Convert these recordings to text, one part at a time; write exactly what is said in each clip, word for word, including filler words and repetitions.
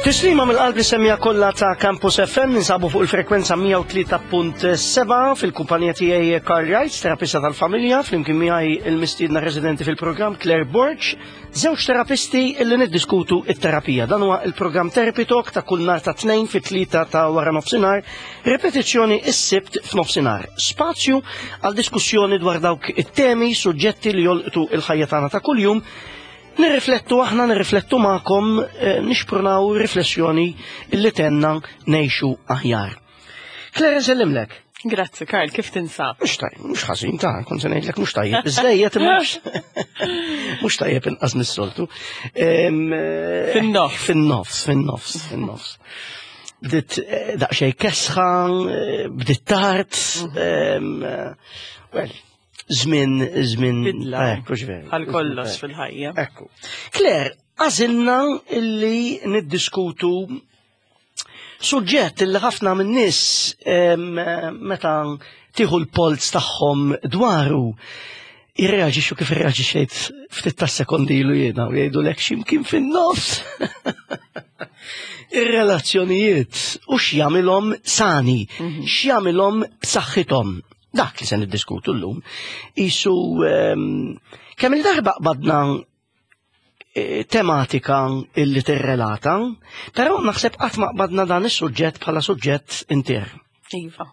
Tislima mill-qalb lis-semmiegħa kollha ta' Campus F M. Ninsabu fuq il-frekwenza mija u tlieta punt sebgħa fil-kumpanija tiegħi Carl Wright, terapista tal-familja, flimkien miegħi il-mistiedna residenti fil-programm Claire Borg, żewġ terapisti illi niddiskutu it-terapija. Dan huwa il-programm Therapy Talk ta' kull nhar ta' Tnejn fit-tlieta ta' wara nofsinhar, repetizzjoni is-Sibt f'nofsinhar. Spazju għal diskussjoni dwar dawk it-temi, suġġetti li jolqtu il-ħajja tagħna ta' kuljum. Nirriflettu aħna, nirriflettu magħkom, eh, nixprunaw riflessjoni illi tgħinna ngħixu aħjar. Claire, nsellimlek. Grazzi, Karl, kif tinsab? Mux tajjeb, mux ħażin ta' kont se ngħidlek mhux tajjeb, iżżejjed imma mhux tajjeb inqas mis-soltu. Em, eh, Fin-nofs. Fin-nofs, fin-nofs, fin-nofs. Bdiet eh, daqsxejn kesħa, eh, bdiet tard, em, eh, well, żmien, żmien. Bidla. Ekku, ġveri. Għal kollox fil-ħajja. Ekku. Claire, għażilna illi niddiskutu suġġett illi ħafna minn nies em, meta tieħu l-polz tagħhom dwaru jirreaġixxu kif irreaġixxejt ftit ta' sekondi ilu jiena u jgħidu lek x'imkien fin-nofs. Ir-relazzjonijiet u x'jagħmilhom sani, x'jagħmilhom b'saħħithom. Dak li se niddiskutu llum. Isu em, kemm il-darba qbadna eh, tematika illi tirrelata, però naħseb qatt ma qbadna dan is-suġġett bħala suġġett intier. Iva.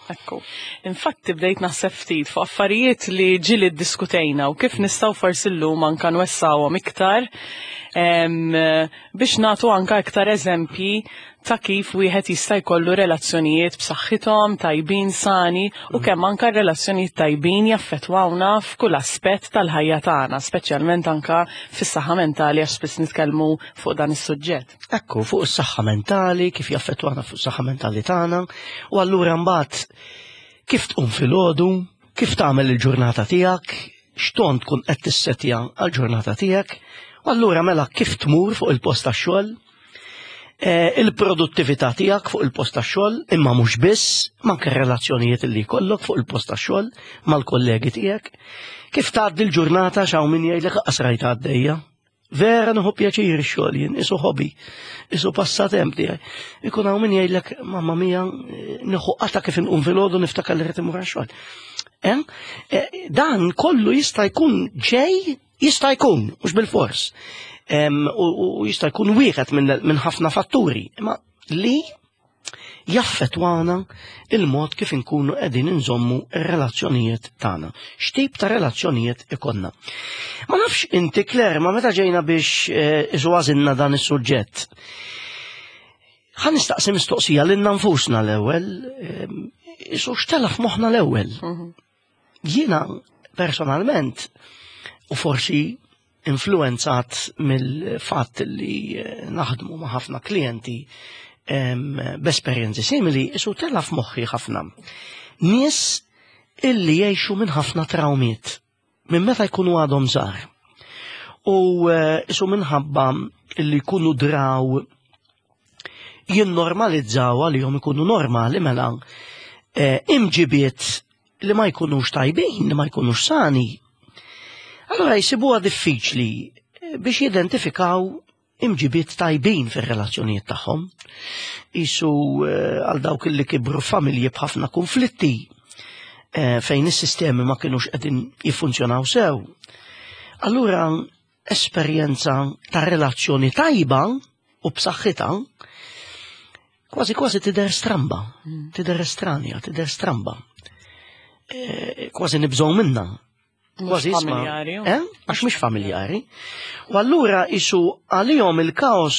Ekku. Infatti bdejt naħseb ftit fuq affarijiet li ġieli ddiskutejna u kif nistgħu forsi llum anka nwessawhom iktar em, biex nagħtu anka iktar eżempji ta' kif wieħed jista' jkollu relazzjonijiet b'saħħithom, tajbin, sani u kemm anka relazzjonijiet tajbin jaffettwawna f'kull aspett tal-ħajja tagħna, speċjalment anka fis-saħħa mentali, għax spiss nitkellmu fuq dan is-suġġett. Ekku, fuq is-saħħa mentali, kif jaffettwana fuq is-saħħa mentali tagħna, u allura mbagħad kif tqum filgħodu, kif tagħmel il-ġurnata tiegħek, x'ton tkun qed tissetja għall-ġurnata tiegħek, u allura mela kif tmur fuq il-post tax-xogħol, eh, il-produttività tiegħek fuq il-post tax-xogħol, imma mhux biss, manke relazzjonijiet li jkollok fuq il-post tax-xogħol mal-kollegi tiegħek, kif tgħaddi l-ġurnata, x'hawn min jgħidlek qas rajta għaddejja. Vera nieħu pjaċir ix-xogħol jien, isu hobby, isu passatemp tiegħi. Ikun hawn min jgħidlek, mamma mia, nieħu qata kif inqum filgħodu niftakar li rrid imur għax-xogħol. Eh? Eh, Dan kollu jista' jkun ġej, jista' jkun, mhux bil-fors. Em, U u jista' jkun wieħed minn minn ħafna fatturi, imma li jaffetwana il-mod kif inkunu qegħdin inżommu r-relazzjonijiet tagħna. X'tip ta' relazzjonijiet ikollna. Ma nafx inti, Claire, ma meta ġejna biex eh, isu għażilna dan is-suġġett. Ħa nistaqsi mistoqsija lilna nfusna l-ewwel, eh, isu x'tela' f'moħħna l-ewwel. Jiena personalment, u forsi influenzat mill-fatt li eh, naħdmu ma' ħafna klijenti em, b'esperjenzi simili, isu tela' f'moħħi ħafna. Nies illi jgħixu minn ħafna traumiet, minn meta jkunu għadhom żgħar. U eh, isu minħabba illi jkunu draw jinnormalizzaw, għalihom ikunu normali mela eh, imġibiet li ma jkunux tajbin, li ma jkunux sani. Allora jisibuha diffiċli eh, biex jidentifikaw imġibiet tajbin fir-relazzjonijiet tagħhom. Isu eh, għal dawk li kibru familji b'ħafna konflitti eh, fejn is-sistemi ma kienux qegħdin jiffunzjonaw sew. Allura esperjenza ta' relazzjoni tajba u b'saħħitha kważi kważi tidher stramba, tidher estranja, tidher stramba. Eh, Kważi nibżgħu minna. Kważi isma'. Familjari. Eh? Għax mhix familjari. U allura isu għalihom il-kaos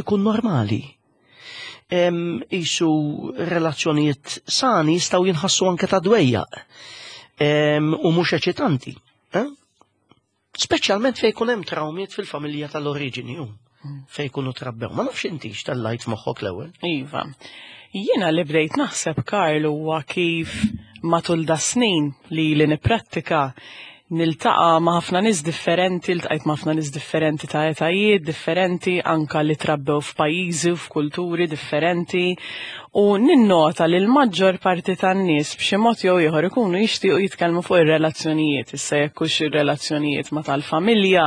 ikun normali. Em, Isu relazzjonijiet sani jistgħu jinħassu anke ta' dwejjaq Em, u mhux eċitanti. Eh? Speċjalment fejn jkun hemm traumiet fil-familja tal-oriġini u fejn jkunu trabbew. Ma nafx inti x'tellajt f'moħħok l-ewwel. Iva. Jiena li bdejt naħseb, Karl, huwa kif matul da snin li li niprattika niltaqa' ma' ħafna nies differenti, ltqajt ma' ħafna nies differenti ta' etajiet differenti, anka li trabbew f'pajjiżi u f'kulturi differenti, u ninnota li l-maġġor parti tan-nies b'xi mod jew ieħor ikunu jixtiequ jitkellmu fuq ir-relazzjonijiet, issa jekk hux ir-relazzjonijiet ma' tal-familja,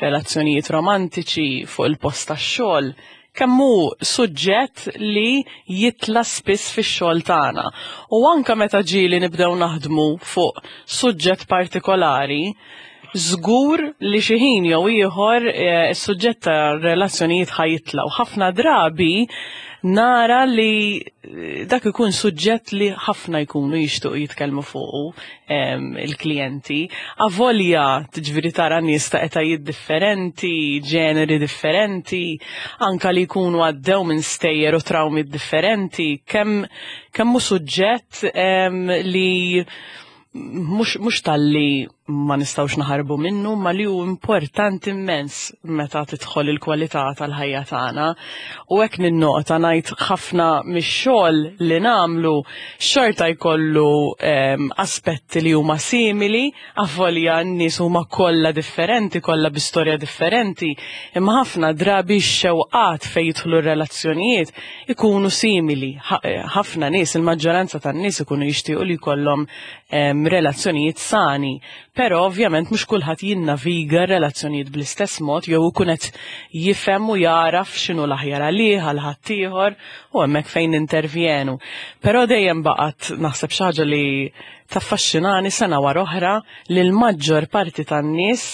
relazzjonijiet romantiċi, fuq il-post tax-xogħol. kemm hu suġġett li jitla spiss fix-xogħol tagħna. U anka meta ġieli nibdew naħdmu fuq suġġett partikolari, żgur li xi ħin jew ieħor eh, is-suġġett ta' relazzjonijiet ħa jitla'. U ħafna drabi nara li eh, dak ikun suġġett li ħafna jkunu jixtuq jitkellmu fuqu em, il-klijenti. Avolja tiġifieri tara nies ta' etajiet differenti, ġeneri differenti, anka li jkunu għaddew minn stejjer u trawmi differenti, kemm kemm hu suġġett em, li mhux mhux talli ma nistgħux naħarbu minnu, ma li hu importanti immens meta tidħol il-kwalità tal-ħajja tagħna. U hekk ninnota ngħid ħafna mix-xogħol li nagħmlu xorta jkollu em, aspetti li huma simili, avolja n-nies huma kollha differenti, kollha bi storja differenti, imma ħafna drabi x-xewqat fejn jidħlu r-relazzjonijiet ikunu simili. Ħafna nies, il-maġġoranza tan-nies ikunu jixtiequ li jkollhom em, relazzjonijiet sani, però ovvjament mhux kulħadd jinnaviga relazzjonijiet bl-istess mod jew ikun qed jifhem u jaraf x'inhu l-aħjar għalih għal ħaddieħor u hemmhekk fejn nintervjenu. Però dejjem baqgħet naħseb xi ħaġa li taffaxxinani sena wara oħra li l-maġġor parti tan-nies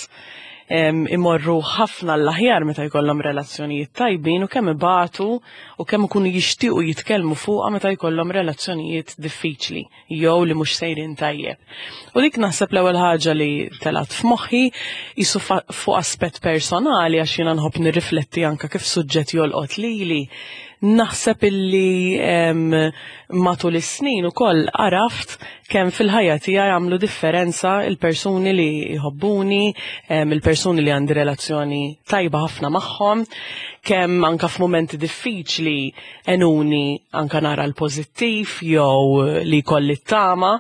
em, imorru ħafna l-aħjar meta jkollhom relazzjonijiet tajbin u kemm ibatu u kemm ikunu jixtiequ jitkellmu fuqha meta jkollhom relazzjonijiet diffiċli jew li mhux sejrin tajjeb. U dik naħseb l-ewwel ħaġa li telat f'moħħi jisu fuq aspett personali, għax jiena nħobb nirrifletti anka kif suġġett jolqot lili. Naħseb illi em, matul is-snin ukoll għaraft kemm fil-ħajja tiegħi għamlu differenza il-persuni li jħobbuni, em, il-persuni li għandi relazzjoni tajba ħafna magħhom, kemm anka f'mumenti diffiċli għenuni anka nara l-pożittiv jew li jkolli t-tama.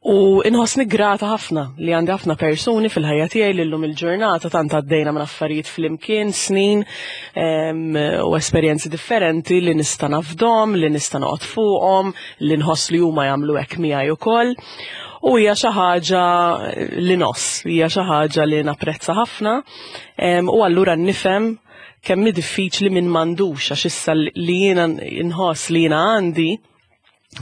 U inħossni grata ħafna li għandi ħafna persuni fil-ħajja tiegħi li llum il-ġurnata tant għaddejna minn affarijiet flimkien, snin em, u esperjenzi differenti li nista' nafdahom, li nista' noqgħod fuqhom, li nħoss li huma jagħmlu hekk miegħi ukoll. U hija xi ħaġa li nos, hija xi ħaġa li napprezza ħafna, em, u allura nifhem kemm hi diffiċli minn m'għandux, għax issa li jiena nħoss li jiena għandi,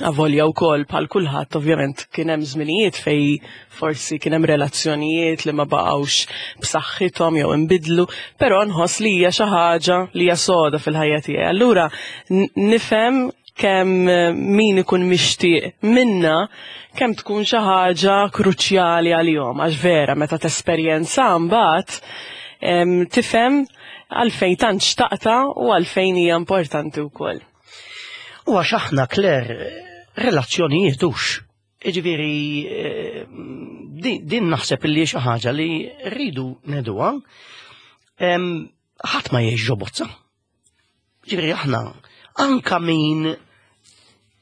avolja wkoll bħal kulħadd ovvjament kien hemm żminijiet fej forsi kien hemm relazzjonijiet li ma baqgħux b'saħħithom jew inbidlu, però nħoss li hija xi ħaġa li hija soda fil-ħajja tiegħi. Allura n- nifhem kemm eh, min ikun mixtieq minna kemm tkun xi ħaġa kruċjali għalihom, għax vera meta tesperjenza mbagħad em, tifhem għalfejn tant xtaqta u għalfejn hija importanti wkoll. U għax aħna, Claire, relazzjonijiet hux. Iġifieri, eh, din, din naħseb li xi ħaġa li rridu ngħiduha, em, ħadd ma jgħix ġo bozza. Ġifieri aħna anka min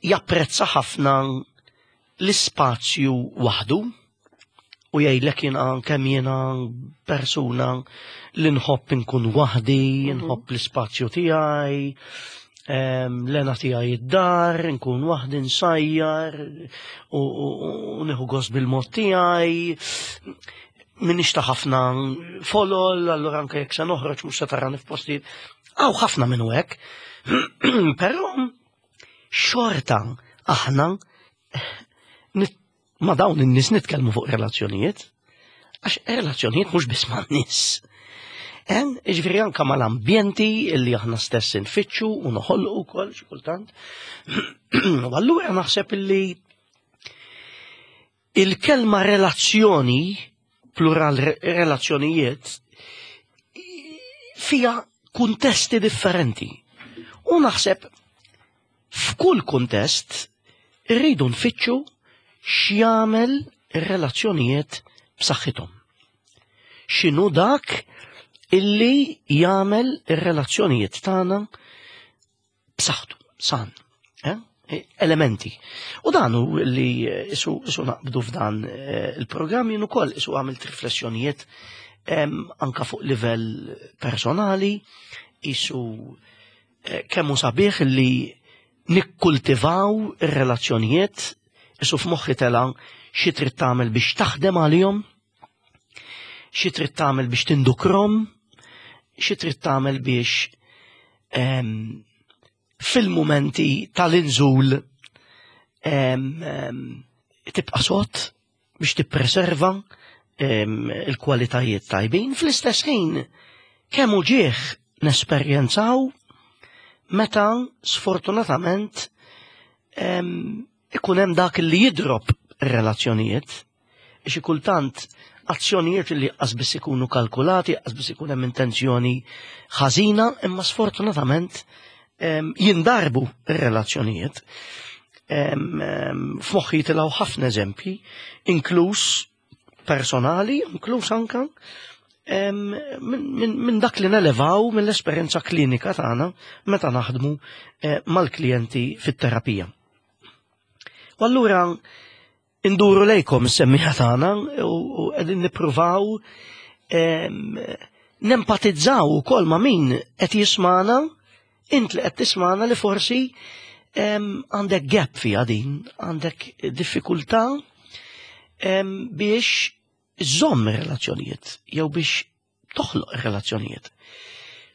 japprezza ħafna l-ispazju waħdu u jgħidlek jiena kemm jiena persuna li nħobb inkun waħdi, nħobb l-ispazju tiegħi, em, l-hena tiegħi id-dar, nkun waħdi nsajjar u, u, u nieħu gost bil-mod tiegħi. Minix ta' ħafna folol, allura anke jekk se noħroġ mhux se tarani f'postijiet. Hawn ħafna minnu hekk. Però xorta aħna nit- ma' dawn in-nies nitkellmu fuq relazzjonijiet. Għax relazzjonijiet mhux biss ma' nies. En, ġifieri anka mal-ambjenti illi aħna stess nfittxu u noħolqu wkoll xi kultant. U allura naħseb illi il-kelma relazzjoni, plural re- relazzjonijiet, fija kuntesti differenti. U naħseb f'kull kuntest irridu nfittxu x'jagħmel ir-relazzjonijiet b'saħħithom. X'inhu dak illi jagħmel ir-relazzjonijiet tagħna b'saħħtu, san. Eh? Elementi. U dan hu li isu, isu naqbdu f'dan eh, il-programm jien ukoll isu għamilt riflessjonijiet em, anka fuq livell personali, isu eh, kemm hu sabiħ li nikkultivaw ir-relazzjonijiet, isu f'moħħi tela xi trid tagħmel biex taħdem għalihom, xi trid tagħmel biex tindukrom, xi trid tagħmel biex em, fil-momenti tal-inżul em, em, tibqa' sod biex tippreserva em, il-kwalitajiet tajbin. Fl-istess ħin, kemm uġigħ nesperjenzaw meta sfortunatament em, ikun hemm dak li jidrob ir-relazzjonijiet, xi kultant azzjonijiet li qas ikunu kalkulati, qas ikun hemm intenzjoni ħażina, imma sfortunatament em, jindarbu ir-relazzjonijiet. Em, em, F'moħħi jitilgħu ħafna eżempji, inkluż personali, inkluż anka em, minn min, min dak li nelevaw mill-esperjenza klinika tagħna meta naħdmu eh, mal-klijenti fit-terapija. U allura induru lejkom is-semmiegħa tagħna u u qegħdin nippruvaw em, nempatizzaw ukoll ma' min qed jismana, int li qed tismana li forsi em, għandek gap fiha din, għandek diffikultà em, biex iżżomm ir-relazzjonijiet jew biex toħloq ir-relazzjonijiet.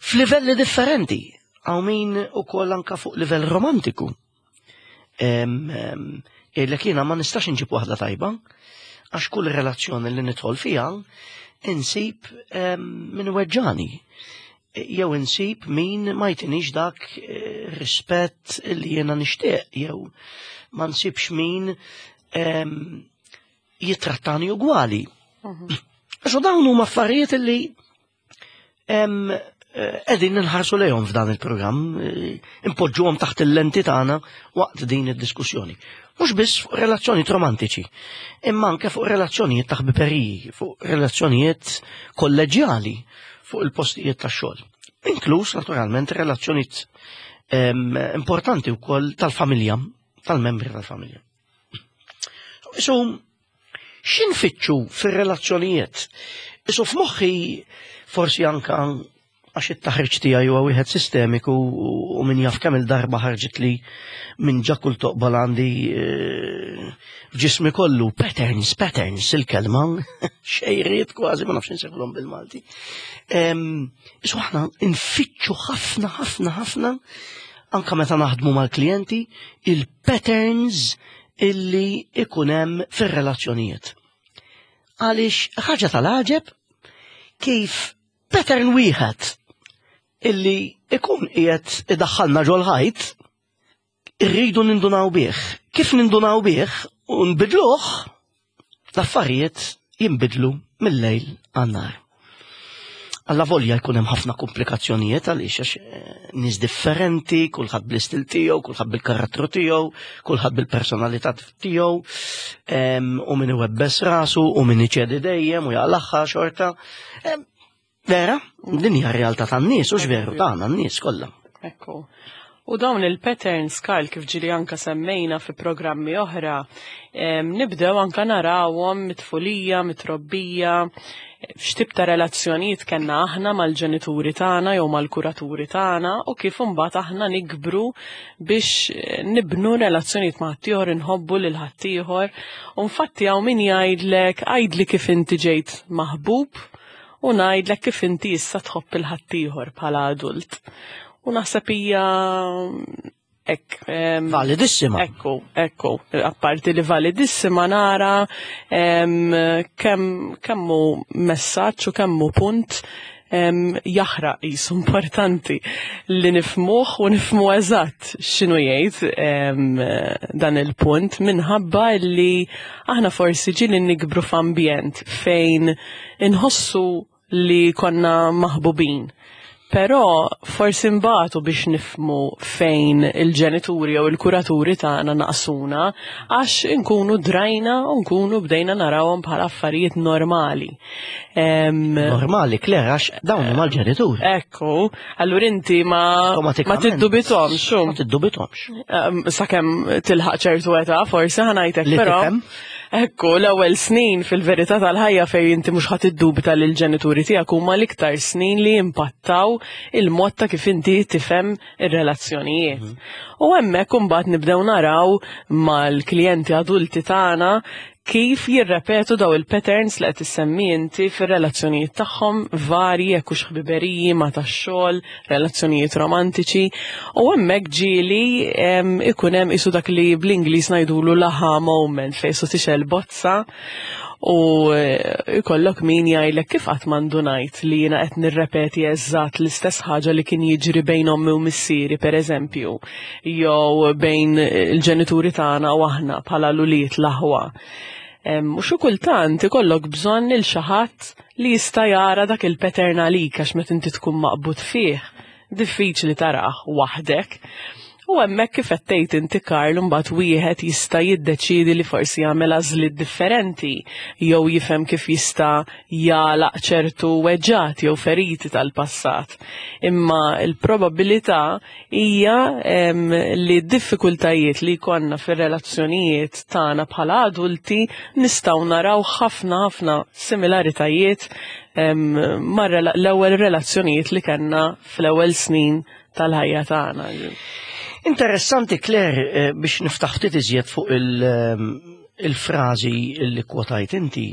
F'livelli differenti, hawn min ukoll anka fuq livell romantiku. Em, em, Jgħidlek jiena ma nistax inġib waħda tajba, għax kull relazzjoni li nidħol fiha insib em, min weġġani. Jew insib min ma jtinix dak eh, rispett li jiena nixtieq, jew ma nsibx min em, jitrattani ugwali. Għax dawn huma affarijiet li em, eh, qegħdin nħarsu lejhom f'dan il-programm, eh, impoġġuhom taħt il-lenti tagħna waqt din id-diskussjoni. Mhux biss fuq relazzjonijiet romantiċi, imma anke fuq relazzjonijiet ta' ħbiberiji, fuq relazzjonijiet kolleġjali, fuq il-postijiet tax-xogħol. Inkluż naturalment relazzjonijiet em, importanti wkoll tal-familja, tal-membri tal-familja. So, x'infittxu fir-relazzjonijiet? Isu f'moħħi forsi anka għax it-taħriġ tiegħi huwa wieħed sistemiku u min jaf kemm il-darba ħarġet li minn ġa kull toqba għandi eh, f'ġismi kollu patterns, patterns il-kelma, xejriet kważi ma nafx insejħulhom bil-Malti. Isu aħna nfittxu ħafna, ħafna, ħafna anka meta naħdmu mal-klijenti il-patterns illi ikun hemm fir-relazzjonijiet. Għaliex ħaġa tal-għaġeb kif pattern wieħed illi ikun qiegħed idaħħalna ġol-ħajt irridu nindunaw bih. Kif nindunaw bih u nbidluh, l-affarijiet jinbidlu mill-lejl għan-nhar. Alla volja jkun hemm ħafna komplikazzjonijiet għaliex għax eh, nies differenti, kulħadd bl-istil tiegħu, kulħadd bil-karattru tiegħu, kulħadd bil-personalità tiegħu, em, u min iwebbes rasu, u min iċedi dejjem u jaqlagħha xorta. Em, Vera, din hija r-realtà tan-nies, u veru tagħna n-nies kollha. Ekku. U dawn il-patterns, Karl, kif ġili anka semmejna fi programmi oħra, em, nibdew anka narawhom mit-tfulija, mit-trobbija, x'tip ta' relazzjonijiet kellna aħna mal-ġenituri tagħna jew mal-kuraturi tagħna u kif imbagħad aħna nikbru biex eh, nibnu relazzjonijiet ma' ħaddieħor, inħobbu lil ħaddieħor. U infatti hawn min jgħidlek għidli kif inti ġejt maħbub u ngħidlek kif inti issa tħobb il ħaddieħor bħala adult. U naħseb hija hekk. em, Validissima. Ekku, ekku, apparti li validissima nara em, kemm kemmu messaġġ u kemmu punt em, jaħraq jisu importanti li nifhmuh u nifhmu eżatt x'inhu jgħid em, dan il-punt minħabba li aħna forsi ġieli nikbru f'ambjent fejn inħossu li konna maħbubin. Però forsi mbatu biex nifhmu fejn il-ġenituri jew il-kuraturi tagħna naqsuna għax inkunu drajna u nkunu bdejna narawhom bħala affarijiet normali. Em, Normali, Claire, għax dawn huma l-ġenituri. Ekku, allura inti ma ma Awtomatikament. tiddubitomx, xu. Ma tiddubitomx. Em, Sakemm tilħaq ċertu età, forsi ħa ngħidlek, Li però. tifhem. Ekku, l-ewwel snin fil-verità tal-ħajja fejn inti mhux ħadd iddubita lil ġenituri tiegħek huma l-iktar snin li impattaw il-mod ta' kif inti tifhem ir-relazzjonijiet. U hemmhekk imbagħad nibdew naraw mal-klijenti adulti tagħna Kif jirrepetu daw il-patterns li qed issemmi inti fir-relazzjonijiet tagħhom varji, jekk hux ħbiberiji, ma tax-xogħol, relazzjonijiet romantiċi, u hemmhekk ġieli ikun hemm isu dak li bl-Ingliż ngħidulu l-aha moment, fejn su tixgħel bozza u jkollok min jgħidlek kif qatt m'indunajt li jiena qed nirrepeti eżatt l-istess ħaġa li kien jiġri bejn ommi u missieri, pereżempju, jew bejn il-ġenituri tagħna u aħna bħala l-ulied, l-aħwa. U xi kultant ikollok bżonn lil xi ħadd li jista' jara dak il-pattern għalik, għax meta inti tkun maqbud fih, diffiċli tarah waħdek. U hemmhekk, kif qed tgħid inti, Karl, mbagħad wieħed jista' jiddeċiedi li forsi jagħmel għażliet differenti jew jifhem kif jista' jagħlaq ċertu weġġat jew feriti tal-passat. Imma l-probabilità hija li d-diffikultajiet li jkollna fir-relazzjonijiet tagħna bħala adulti nistgħu naraw ħafna ħafna similaritajiet mar l-ewwel relazzjonijiet li kellna fl-ewwel snin tal-ħajja tagħna. Interessanti, Claire, eh, biex niftaħ ftit iżjed fuq ehm, il-frażi li kwotajt inti,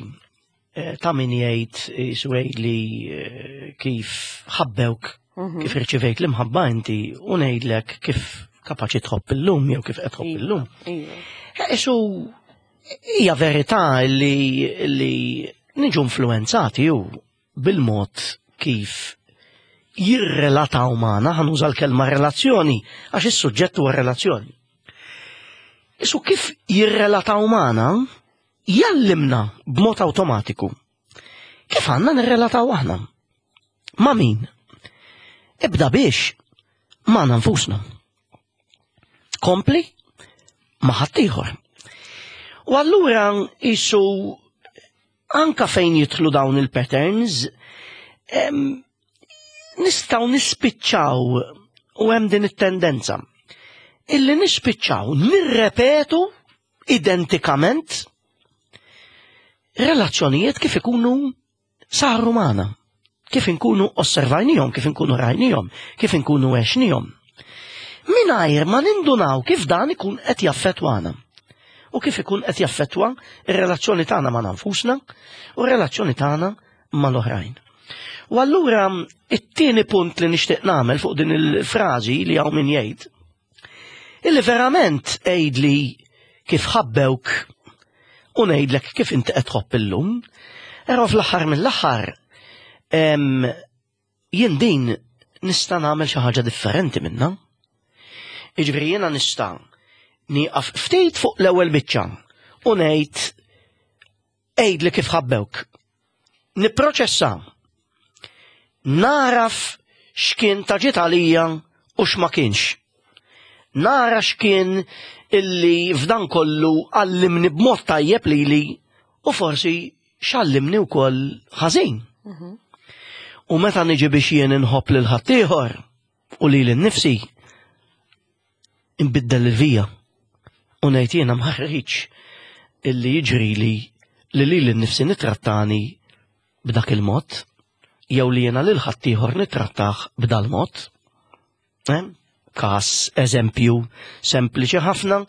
eh, ta' min jgħid jiswej li eh, kif ħabbewk, mhm. kif irċivejt l-imħabba inti, u ngħidlek kif kapaċi tħobb illum jew kif qed tħobb iva, illum. Iva. Isu hija verità li li niġu influenzati ju bil-mod kif jirrelataw magħna, ħa nuża l-kelma relazzjoni, għax is-suġġett huwa relazzjoni. Isu kif jirrelataw magħna, jallimna b'mod awtomatiku kif għandna nirrelataw aħna. Ma' min? Ibda biex magħna nfusna. Kompli ma' ħaddieħor. U allura isu anka fejn jidħlu dawn il-patterns, nistgħu nispiċċaw, u hemm din it-tendenza illi nispiċċaw nirrepetu identikament relazzjonijiet kif ikunu saru magħna, kif inkunu osservajnihom, kif inkunu rajnihom, kif inkunu għexnihom. Mingħajr ma nindunaw kif dan ikun qed jaffettwana. U kif ikun qed jaffettwa ir-relazzjoni tagħna ma' nfusna u r-relazzjoni tagħna mal-oħrajn. U allura it-tieni punt li nixtieq nagħmel fuq din il-frażi li hawn min jgħid, illi verament għidli kif ħabbewk u ngħidlek kif inti qed tħobb illum, però fl-aħħar mill-aħħar jien din nista' nagħmel xi ħaġa differenti minnha. Jiġifieri jiena nista' nieqaf ftit fuq l-ewwel biċċa u ngħid għidli kif ħabbewk. Nipproċessa, naraf x'kien ta' ġid għalija u x'ma kienx. Nara x'kien illi f'dan kollu għallimni b'mod tajjeb lili u forsi x'għallimni wkoll ħażin. Mhm. U meta niġi biex jien inħobb lil ħaddieħor u lili nnifsi, inbiddel il-vija u ngħid jiena ma rridx illi jiġri li li lili nnifsi nitrattani b'dak il-mod jew li jiena lil ħaddieħor nittrattah b'dal mod. Eh? Kas eżempju sempliċi ħafna,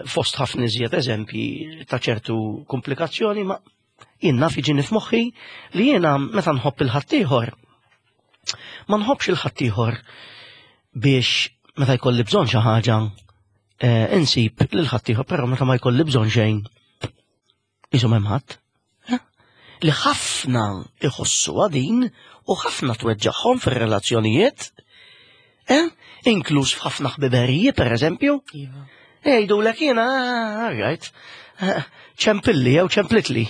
fost ħafna iżjed eżempji ta' ċertu komplikazzjoni, ma jien naf jiġini f'moħħi li jiena meta nħobb il-ħaddieħor, ma nħobbx il-ħaddieħor biex meta jkolli bżonn xi ħaġa eh, insib lil ħaddieħor, però meta ma jkolli bżonn xejn isu m'hemm ħadd. Eh? Li ħafna iħossu din u ħafna tweġġagħhom fir-relazzjonijiet, eh? Inkluż f'ħafna ħbiberiji, per eżempju. Iva. Jgħidu l jiena, right, ċempilli jew ċemplitli.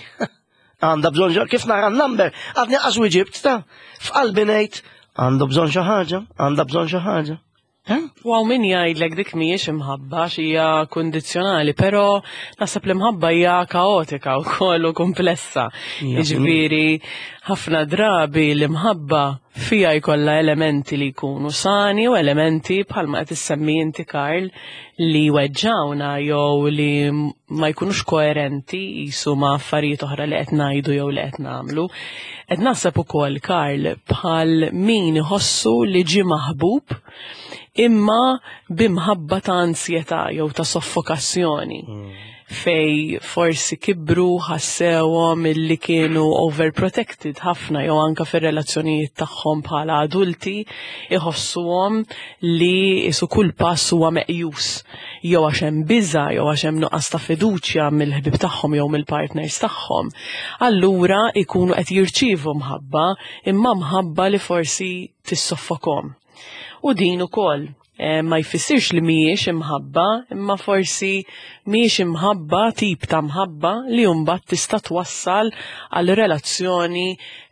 Għandha bżonn, kif nara n-number, għadni qas ġibt ta' f'qalbi ngħid għandu bżonn xi ħaġa, għandha bżonn xi ħaġa. U hawn min jgħidlek dik mhijiex imħabba, hija kundizzjonali, però naħseb l-imħabba hija kaotika wkoll u komplessa. Jiġifieri ħafna drabi l-imħabba fija jkollha elementi li jkunu sani u elementi bħalma qed issemmi inti, Karl, li weġġawna jew li ma jkunux koerenti jisu ma' affarijiet oħra li qed ngħidu jew li qed nagħmlu. Qed naħseb ukoll, Karl, bħal min iħossu li ġie maħbub imma bimħabba ta' ansjetà jew ta' soffokazzjoni. Mm. Fej forsi kibru ħassewhom illi kienu overprotected ħafna, jew anka fir-relazzjonijiet tagħhom bħala adulti iħossuhom li isu kull pass huwa meqjus, jew għax hemm biża' jew għax hemm nuqqas ta' fiduċja mill-ħbib tagħhom jew mill-partners tagħhom. Allura ikunu qed jirċievu mħabba, imma mħabba li forsi tissoffokom. U din ukoll eh, ma jfissirx li mhijiex imħabba, imma forsi mhijiex imħabba, tip ta' mħabba li mbagħad tista' twassal għal relazzjoni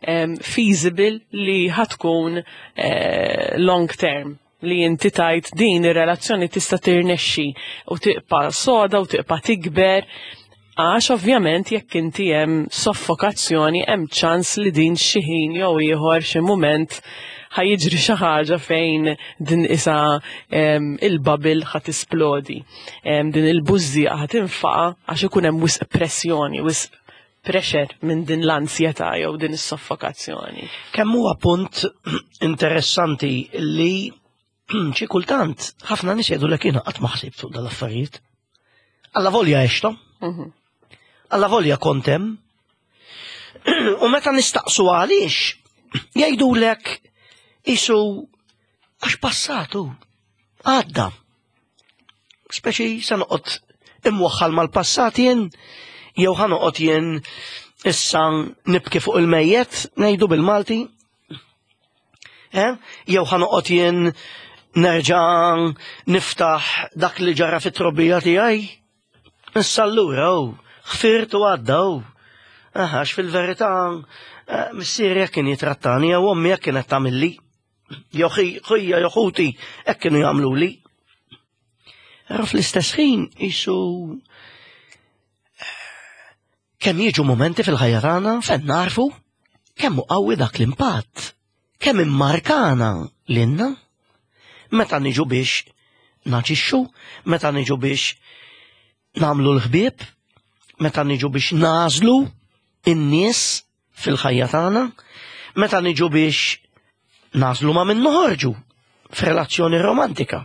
em, feasible li ħatkun eh, long term, li inti tajt din ir-relazzjoni tista' tirnexxi u tibqa' soda u tibqa' tikber, għax ovvjament jekk inti hemm soffokazzjoni, hemm ċans li din xi ħin jew ieħor, xi mument, ħa jiġri xi ħaġa fejn din isa em, il-bubble ħa tisplodi. Em, din il-bużżieqa ħa tinfaqa' għax ikun hemm wisq pressjoni, wisq pressure minn din l-ansjetà jew din is-soffokazzjoni. Kemm huwa punt interessanti li xi kultant ħafna nies jgħidu lek, "Jiena qatt ma ħsibt fuq dal-affarijiet. Alla volja għextom, Mhm. alla volja kont hemm." U meta nistaqsu għaliex, jgħidulek isu għax passatu, għadda. Speċi se noqgħod imwaħħal mal-passat jien, jew ħa noqgħod jien issa nibki fuq il-mejjet, ngħidu bil-Malti. Eh? Jew ħa noqgħod jien nerġa' niftaħ dak li ġara fit-trobbija tiegħi. Issa allura, oh, ħfirt u għadda, oh. Għax fil-verità, eh, missieri jekk kien jitrattani, jew ommi jekk kienet tagħmilli. Jew ħija jew ħuti hekk kienu jagħmluli. Però fl-istess ħin isu kemm jiġu momenti fil-ħajja tagħna fejn narfu kemm hu qawwi dak l-impatt, kemm immarkana lilna meta niġu biex naġixxu, meta niġu biex nagħmlu l-ħbieb, meta niġu biex nagħżlu in-nies fil-ħajja tagħna, meta niġu biex nagħżlu ma' min noħorġu f'relazzjoni romantika.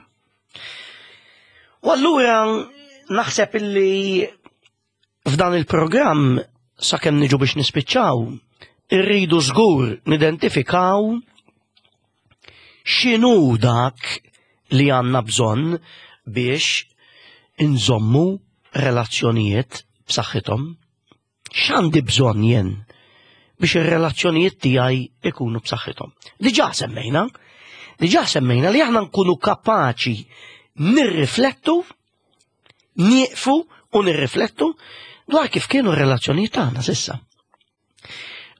U allura naħseb illi f'dan il-programm, sakemm niġu biex nispiċċaw, irridu żgur nidentifikaw x'inhu dak li għandna bżonn biex inżommu relazzjonijiet b'saħħithom. X'għandi bżonn jien biex ir-relazzjonijiet tiegħi ikunu b'saħħithom? Diġà semmejna, diġà semmejna li aħna nkunu kapaċi nirriflettu, nieqfu u nirriflettu dwar kif kienu r-relazzjonijiet tagħna s'issa.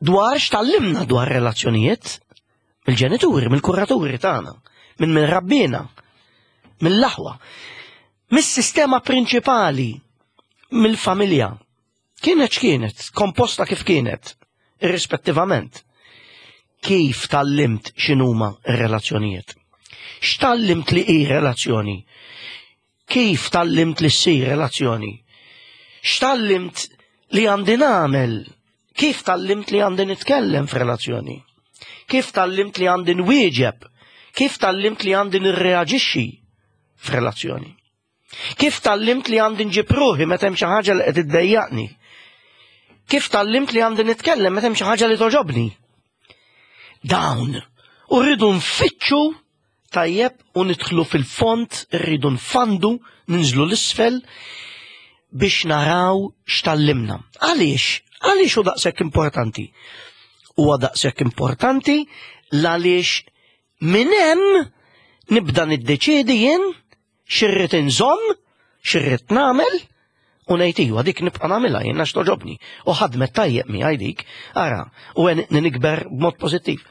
Dwar x'tgħallimna dwar relazzjonijiet mill-ġenituri, mill-kuraturi tagħna, minn min rabbina, mill-aħwa, mis-sistema prinċipali, mill-familja. Kienet x'kienet, komposta kif kienet, irrispettivament. Kif tgħallimt x'inhuma r-relazzjonijiet? X'tgħallimt li hi relazzjoni? Kif tgħallimt li ssir relazzjoni? X'tgħallimt li għandi nagħmel? Kif tgħallimt li għandi nitkellem f'relazzjoni? Kif tgħallimt li għandi nwieġeb? Kif tgħallimt li għandi nirreaġixxi f'relazzjoni? Kif tgħallimt li għandi nġib ruħi meta hemm xi ħaġa li qed iddejjaqni? Kif tgħallimt li għandi nitkellem meta hemm xi ħaġa li togħġobni? Dawn. U rridu nfittxu tajjeb u nidħlu fil-fond, rridu nfandu, ninżlu l-isfel biex naraw x'tgħallimna. Għaliex? Għaliex hu daqshekk importanti? Huwa daqshekk importanti għaliex minn hemm nibda niddeċiedi jien x'irrid inżomm, x'irrid nagħmel, u ngħid, "Iwa, dik nibqa' nagħmilha jien għax togħġobni. U ħadmet tajjeb miegħi dik, ara, u għenitni nikber b'mod pożittiv.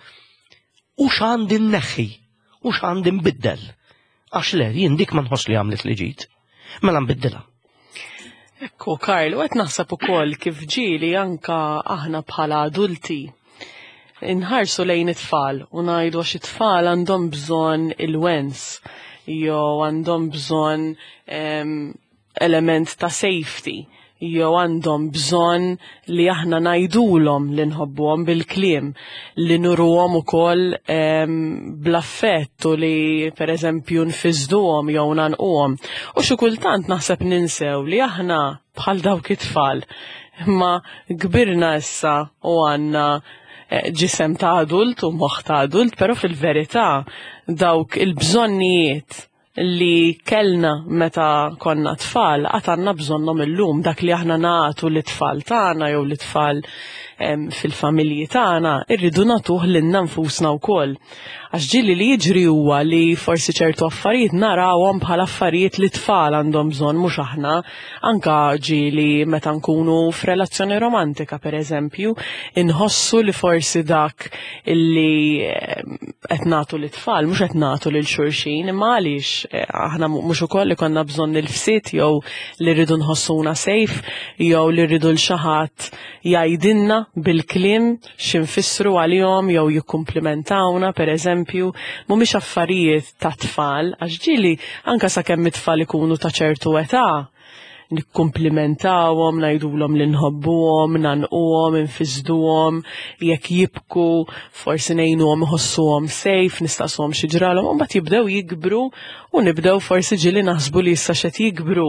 U x'għandi nneħħi, u x'għandi nbiddel? Għax le, jien dik ma nħoss li għamlet li ġid. Mela nbiddilha." Ekku, Karl, u qed naħseb ukoll kif ġieli anka aħna bħala adulti inħarsu lejn it-tfal u ngħidu għax it-tfal għandhom bżonn il-wens jew għandhom bżonn em, element ta' safety jew għandhom bżonn li aħna ngħidulhom li nħobbuhom bil-kliem, li nuruhom ukoll bl-affett u li pereżempju nfiżduhom jew nanquhom. U xi kultant naħseb ninsew li aħna bħal dawk it-tfal, imma kbirna issa u għandna ġisem ta' adult u moħħ ta' adult, però fil-verità dawk il-bżonnijiet li kellna meta konna tfal għad għandna bżonnhom illum, dak li aħna nagħtu lit-tfal tagħna jew lit-tfal fil-familji tagħna irridu nagħtuh lilna nfusna wkoll. Għax ġieli li jiġri huwa li forsi ċertu affarijiet narawhom bħala affarijiet li tfal għandhom bżonn mhux aħna, anka ġieli meta nkunu f'relazzjoni romantika pereżempju, inħossu li forsi dak illi qed nagħtu lit-tfal mhux qed nagħtu lil xulxin, imma għaliex aħna mhux ukoll li konna bżonn il-fsit jew li rridu nħossuna safe jew li rridu l xi ħadd jgħidilna bil-kliem x'infissru għalihom jew jikkumplimentawna pereżempju, mhumiex affarijiet ta' tfal, għax ġieli anke sakemm it-tfal ikunu ta' ċertu età nikkumplimentawhom, ngħidulhom li nħobbuhom, nanquhom, infisduhom, jekk jibku forsi ngħinuhom iħossuhom safe, nistaqsuhom xi ġralhom, u mbagħad jibdew jikbru u nibdew forsi ġieli naħsbu li issa x'qed jikbru,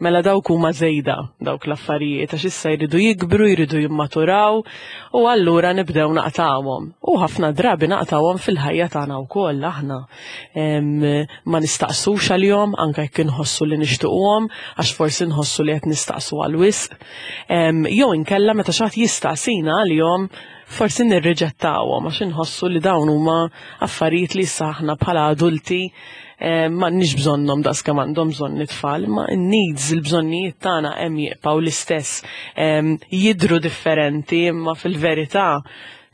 mela dawk huma żejda dawk l-affarijiet għax issa jridu jikbru, jridu jimmaturaw u allura nibdew naqtawhom. U ħafna drabi naqtawhom fil-ħajja tagħna wkoll aħna. Ma nistaqsux għalihom anke jekk inħossu li nixtiequhom għax forsi nħossu li qed nistaqsu għal wisq, jew inkella meta xi ħadd jistaqsina għalihom forsi nirriġettawhom għax inħossu li dawn huma affarijiet li issa aħna bħala adulti m'għandniex bżonnhom daqs kemm għandhom bżonn it-tfal, imma n-needs, il-bżonnijiet tagħna hemm jibqgħu l-istess, jidhru differenti imma fil-verità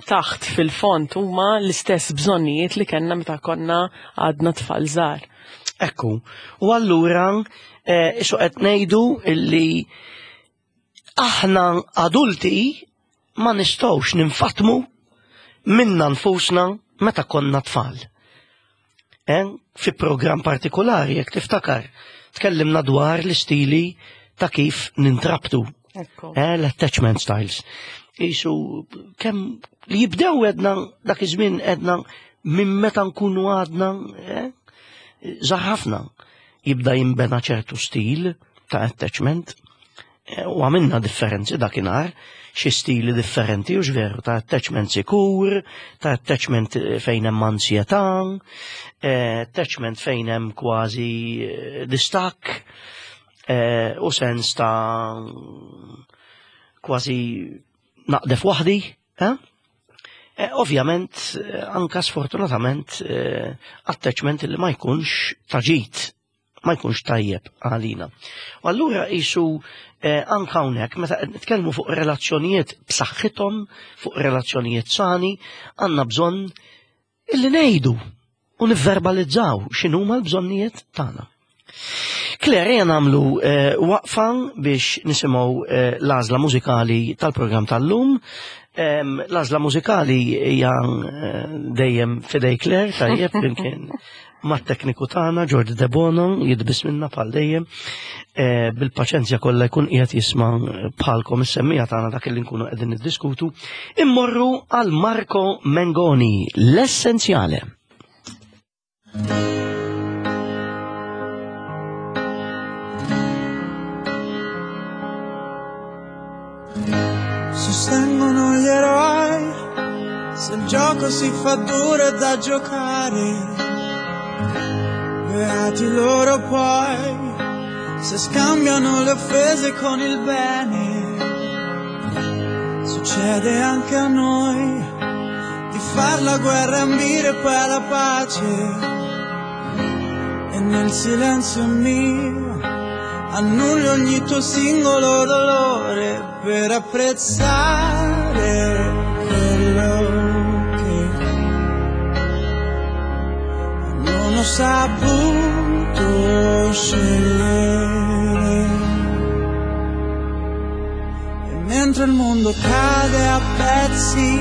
taħt fil-fond huma l-istess bżonnijiet li kellna meta konna għadna tfal żgħar. Ekku, u allura isu qed ngħidu illi aħna adulti ma nistgħux ninfatmu minna nfusna meta konna tfal. Eh? Fi programm partikolari, jekk tiftakar, tkellimna dwar l-istili ta' kif nintrabtu. Eh, l-attachment styles. Isu kemm li jibdew edna dak iż-żmien edna minn meta nkunu għadna eh, żgħar ħafna jibda jinbena ċertu stil ta' attachment u għamilna differenzi dakinhar, xi stili differenti u x'veru ta' attachment sikur, ta' attachment fejn hemm ansjetà, attachment fejn hemm kważi distakk u sens ta' kważi naqdef waħdi. Ovvjament, anka sfortunatament, attachment li ma jkunx taġit, ma jkunx tajjeb għalina. U allura isu anka hawnhekk meta qed nitkellmu fuq relazzjonijiet b'saħħithom, fuq relazzjonijiet sani, għandna bżonn illi ngħidu u nivverbalizzaw x'inhuma l-bżonnijiet tagħna. Claire, ejja nagħmlu waqfa biex nisimgħu l-għażla mużikali tal-programm tal-lum. L-għażla mużikali hija dejjem f'idej Claire, tajjeb, flimkien mat-tekniku tagħna Jordi De Bono, jidbis minna bħal dejjem, bil-paċenzja kollha jkun qiegħed jisma' bħalkom is-semmija tagħna dak li nkunu qegħdin niddiskutu. Immorru għal Marco Mengoni, L-Essenzjale. Sostengono gli eroi se il gioco si fa duro da giocare. Beati loro poi se scambiano le offese con il bene. Succede anche a noi di far la guerra e ambire poi alla pace. E nel silenzio mio annullo ogni tuo singolo dolore per apprezzare quello che non ho saputo scegliere. E mentre il mondo cade a pezzi,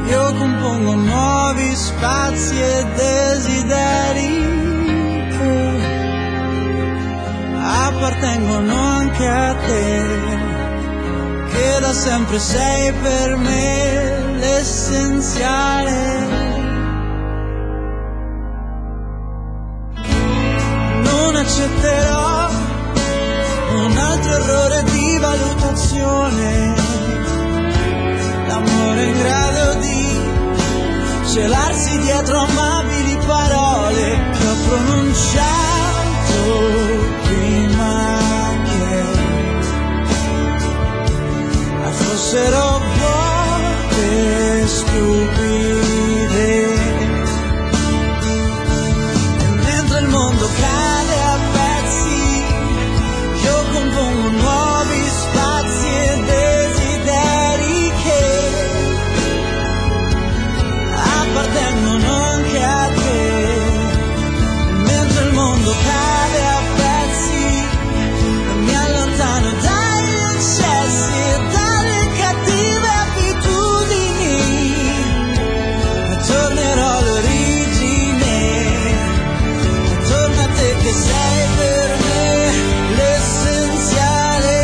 io compongo nuovi spazi e desideri che appartengono anche a te, che da sempre sei per me l'essenziale. Non accetterò un altro errore di valutazione, l'amore in grado di celarsi dietro amabili parole che ho pronunciato prima che fossero vuote stupide. E mentre il mondo cade a pezzi, io compongo nuovi spazi e desideri che appartengono anche a te. Mentre il mondo cade a pezzi, mi allontano dagli eccessi e dalle cattive abitudini, ma tornerò all'origine, torna a te che sei per me l'essenziale.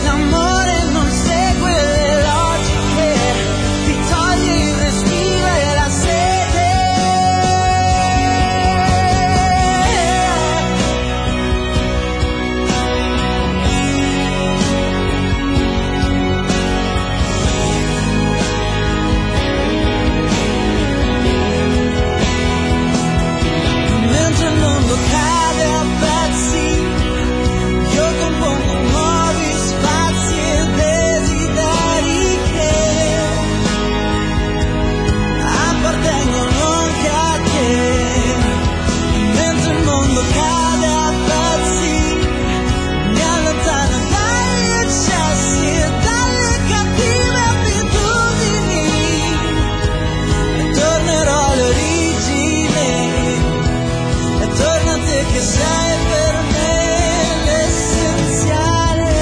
L'amore non segue le logiche, ti toglie il respiro e la sete. Mentre il mondo cade a pezzi, io compongo nuovi spazi e desideri che appartengono anche a te. Mentre il mondo cade a pezzi, mi allontano dagli eccessi e dalle cattive abitudini, e tornerò all'origine, e torna a te che sei per me l'essenziale.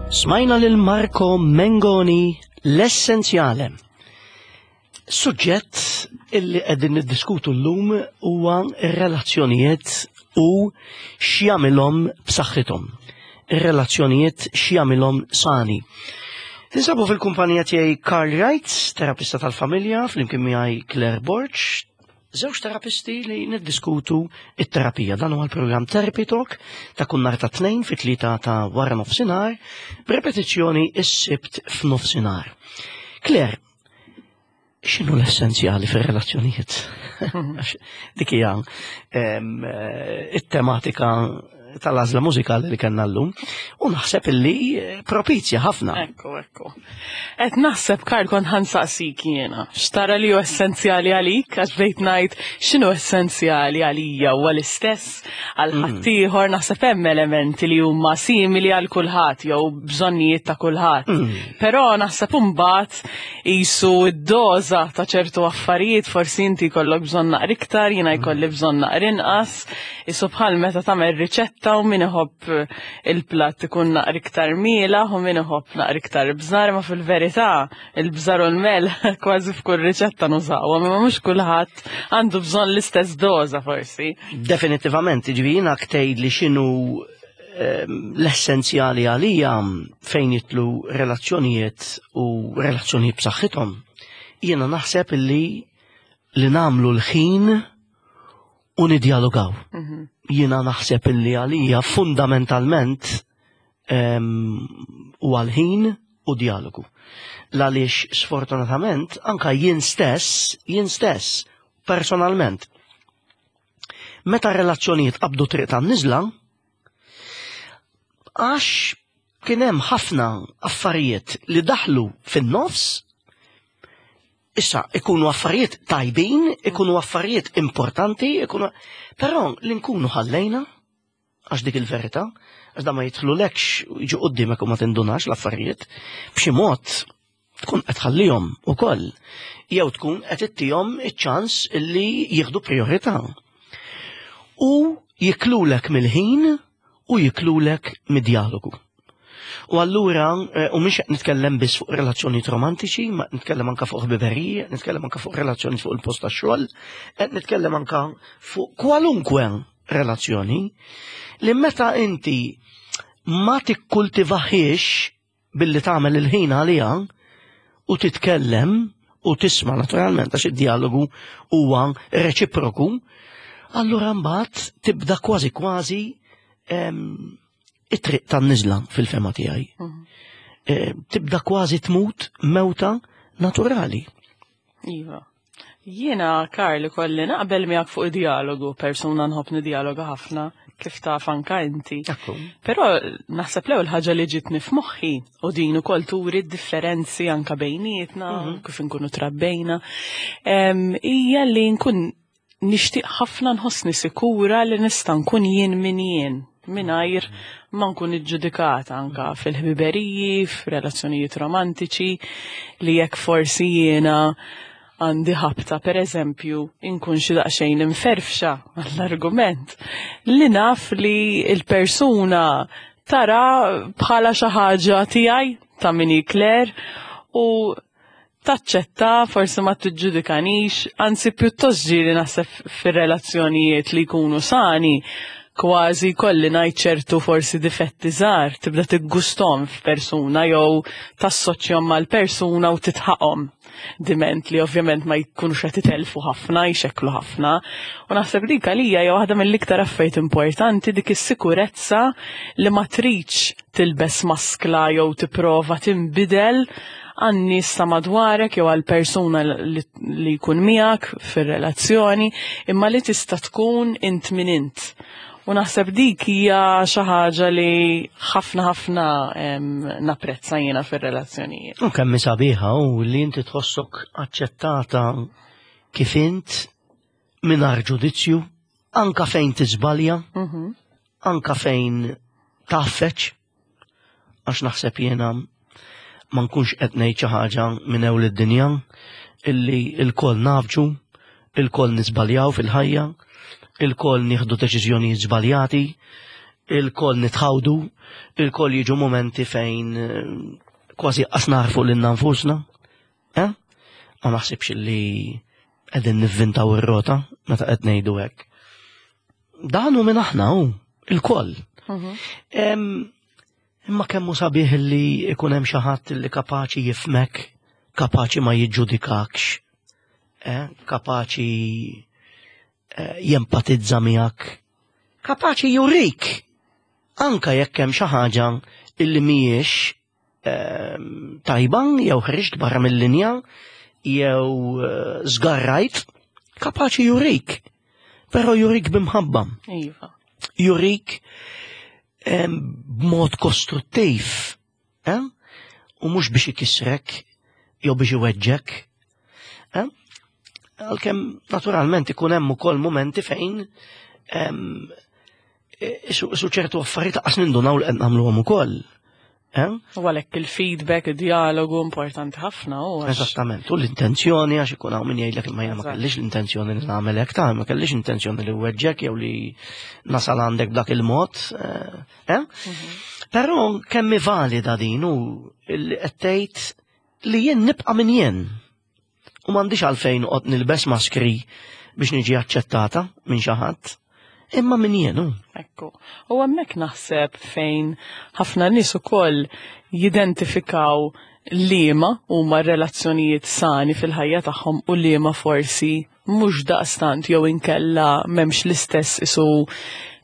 Smajna lil Marco Mengoni, L-Essenzjale. Suġġett illi qegħdin niddiskutu llum huwa r-relazzjonijiet u x'jagħmilhom b'saħħithom. Ir-relazzjonijiet x'jagħmilhom sani. Tinsabu fil-kumpanija tiegħi Karl Wright, terapista tal-familja, flimkien miegħi Claire Borg, żewġ terapisti li niddiskutu it-terapija. Dan huwa l-programm Therapy Talk ta' kull nhar ta' tnejn fit-tlieta ta' wara nofsinhar, b'repetizzjoni s-Sibt f'nofsinhar. Claire, x'inhu l-essenzjali fir-relazzjonijiet? Għax dik hija em, eh, it-tematika tal-għażla mużikali li kellna llum u naħseb illi eh, propizja ħafna. Ekku, ekku. Et naħseb, Karl, kont ħa nsaqsik jiena. X'tara li hu essenzjali għalik? Għax bdejt ngħid x'inhu essenzjali għalija huwa l-istess għal ħaddieħor, naħseb hemm elementi li huma simili għal kulħadd jew bżonnijiet ta' kulħadd. Però naħseb imbagħad qisu d-doża ta' ċertu affarijiet, forsi inti jkollok bżonn naqra iktar, jiena jkolli bżonn naqra inqas, qisu bħal meta tagħmel riċetta u min iħobb il-platt ikun naqra iktar mielaħ u min iħobb naqra iktar bżar, ma fil-verità il-bżar u l-melħ kważi f'kull riċetta nużawhom, imma mhux kulħadd għandu bżonn l-istess doża forsi. Definitivament, ġifieri jiena ktejt li x'inhu ehm, l-essenzjali għalija fejn jidħlu relazzjonijiet u relazzjonijiet b'saħħithom. Jiena naħseb illi li nagħmlu l-ħin u nidjalogaw. Jiena naħseb illi għalija fundamentalment ehm, u għal-ħin u dialogu. Għaliex sfortunatament anka jien stess, jien stess, personalment, meta relazzjonijiet qabdu triq tan-niżla, għax kien hemm ħafna affarijiet li daħlu fin-nofs, issa ikunu affarijiet tajbin, ikunu affarijiet importanti, ikunu, però li nkunu ħallejna, għax dik il-verità, għax da ma jidħlulekx jiġu qudiemek u ma tindunax l-affarijiet, b'xi mod tkun qed tħallihom ukoll, jew tkun qed ittihom iċ-ċans illi jieħdu priorità. U jiklulek mill-ħin u jiklulek mid-dialogu. U allura, eh, u mhix qed nitkellem biss fuq relazzjonijiet romantiċi, ma nitkellem anka fuq ħbiberiji, nitkellem anka fuq relazzjoni fuq il-post tax-xogħol, qed nitkellem anka fuq kwalunkwe relazzjoni li meta inti ma tikkultivaħiex billi tagħmel il-ħin għaliha u titkellem u tisma' naturalment għax id-dialogu huwa reċiproku, allura mbagħad tibda kważi kważi em, it-triq tan-niżla fil-fehma tiegħi. Eh, Tibda kważi tmut mewta naturali. Iva. Jiena, Karl, kolli naqbel miegħek fuq id-dialogu, persuna nħobb nidjaloga ħafna, kif taf anka inti. Ekku. Però naħseb l-ewwel ħaġa li ġitni f'moħħi u din ukoll turi d-differenzi anka bejnietna, kif inkunu trabbejna, em, hija li nkun nixtieq ħafna nħossni sikura li nista' nkun jien min jien mingħajr ma nkun iġġudikata anka fil-ħbiberiji, f'relazzjonijiet romantiċi, li jekk forsi jiena għandi ħabta, per eżempju, inkun xi daqsxejn imferfxa għall-argument, li naf li il-persuna tara bħala xi ħaġa tiegħi ta' min hi Claire u taċċetta, forsi ma tiġġudikanix, anzi pjuttost ġieli naħseb fir-relazzjonijiet li jkunu sani, kważi kolli ngħid ċertu forsi difetti żgħar, tibda tiggustom f'persuna jew tassoċjahom mal-persuna u titħaqhom. Diment li ovvjament ma jkunux qed itelfu ħafna, jxekklu ħafna. U naħseb dik għalija hija waħda mill-iktar affarijiet importanti, dik is-sikurezza li ma tridx tilbes maskla jew tipprova tinbidel għan-nies ta' madwarek jew għal persuna li, li jkun miegħek fir-relazzjoni, imma li tista' tkun int min int. U naħseb dik hija xi ħaġa li ħafna ħafna em, napprezza jiena fir-relazzjonijiet. U kemm sabiħa u li inti tħossok aċċettata kif int mingħajr ġudizzju, anka fejn tiżbalja, Mhm. anka fejn taffeċ, għax naħseb jiena ma nkunx qed ngħid xi ħaġa minn ewl id-dinja illi il-koll nafġu, il-koll nisbaljaw fil-ħajja, il-koll nieħdu deċiżjonijiet żbaljati, il-koll nitħawdu, il-koll jiġu momenti fejn eh, kważi qas narfu lilna nfusna. Eh? Ma naħsibx li qegħdin nivvintaw ir-rota meta qed ngħidu hekk. Dan hu minn aħna hu, il-koll. Mhm. Em, Imma kemmu sabiħ li ikun hemm xi ħadd li kapaċi jifhmek, kapaċi ma jiġġudikakx, eh? kapaċi eh, jempatizza miegħek, kapaċi jurik anka jekk hemm xi ħaġa illi mhijiex ehm, tajba jew ħriġt barra mill-linja jew eh, żgarrajt, kapaċi jurik. Però jurik b'imħabba Iva. jurik em, b'mod kostruttiv, eh? U mhux biex ikissrek jew biex iweġġek. Eh? Għalkemm naturalment ikun hemm ukoll momenti fejn em, isu isu ċertu affarijiet qas nindunaw li qed nagħmluhom ukoll. Eh? U għalhekk il-feedback, id-dialogu importanti ħafna u għax- Eżattament, u l-intenzjoni għax ikun hawn min jgħidlek imma jiena ma Eżatt. kellix l-intenzjoni li nagħmel hekk ta' ma kellix intenzjoni li weġġek jew li nasal għandek b'dak il-mod. Eh? eh? Però kemm hi valida din u li qed tgħid li jien nibqa' min jien. U m'għandix għalfejn noqgħod nilbes maskri biex niġi aċċettata minn xi ħadd. Imma min jien hu. Ekku. U hemmhekk naħseb fejn ħafna nies ukoll jidentifikaw liema huma relazzjonijiet sani fil-ħajja tagħhom u liema forsi mhux daqstant jew inkella m'hemmx l-istess isu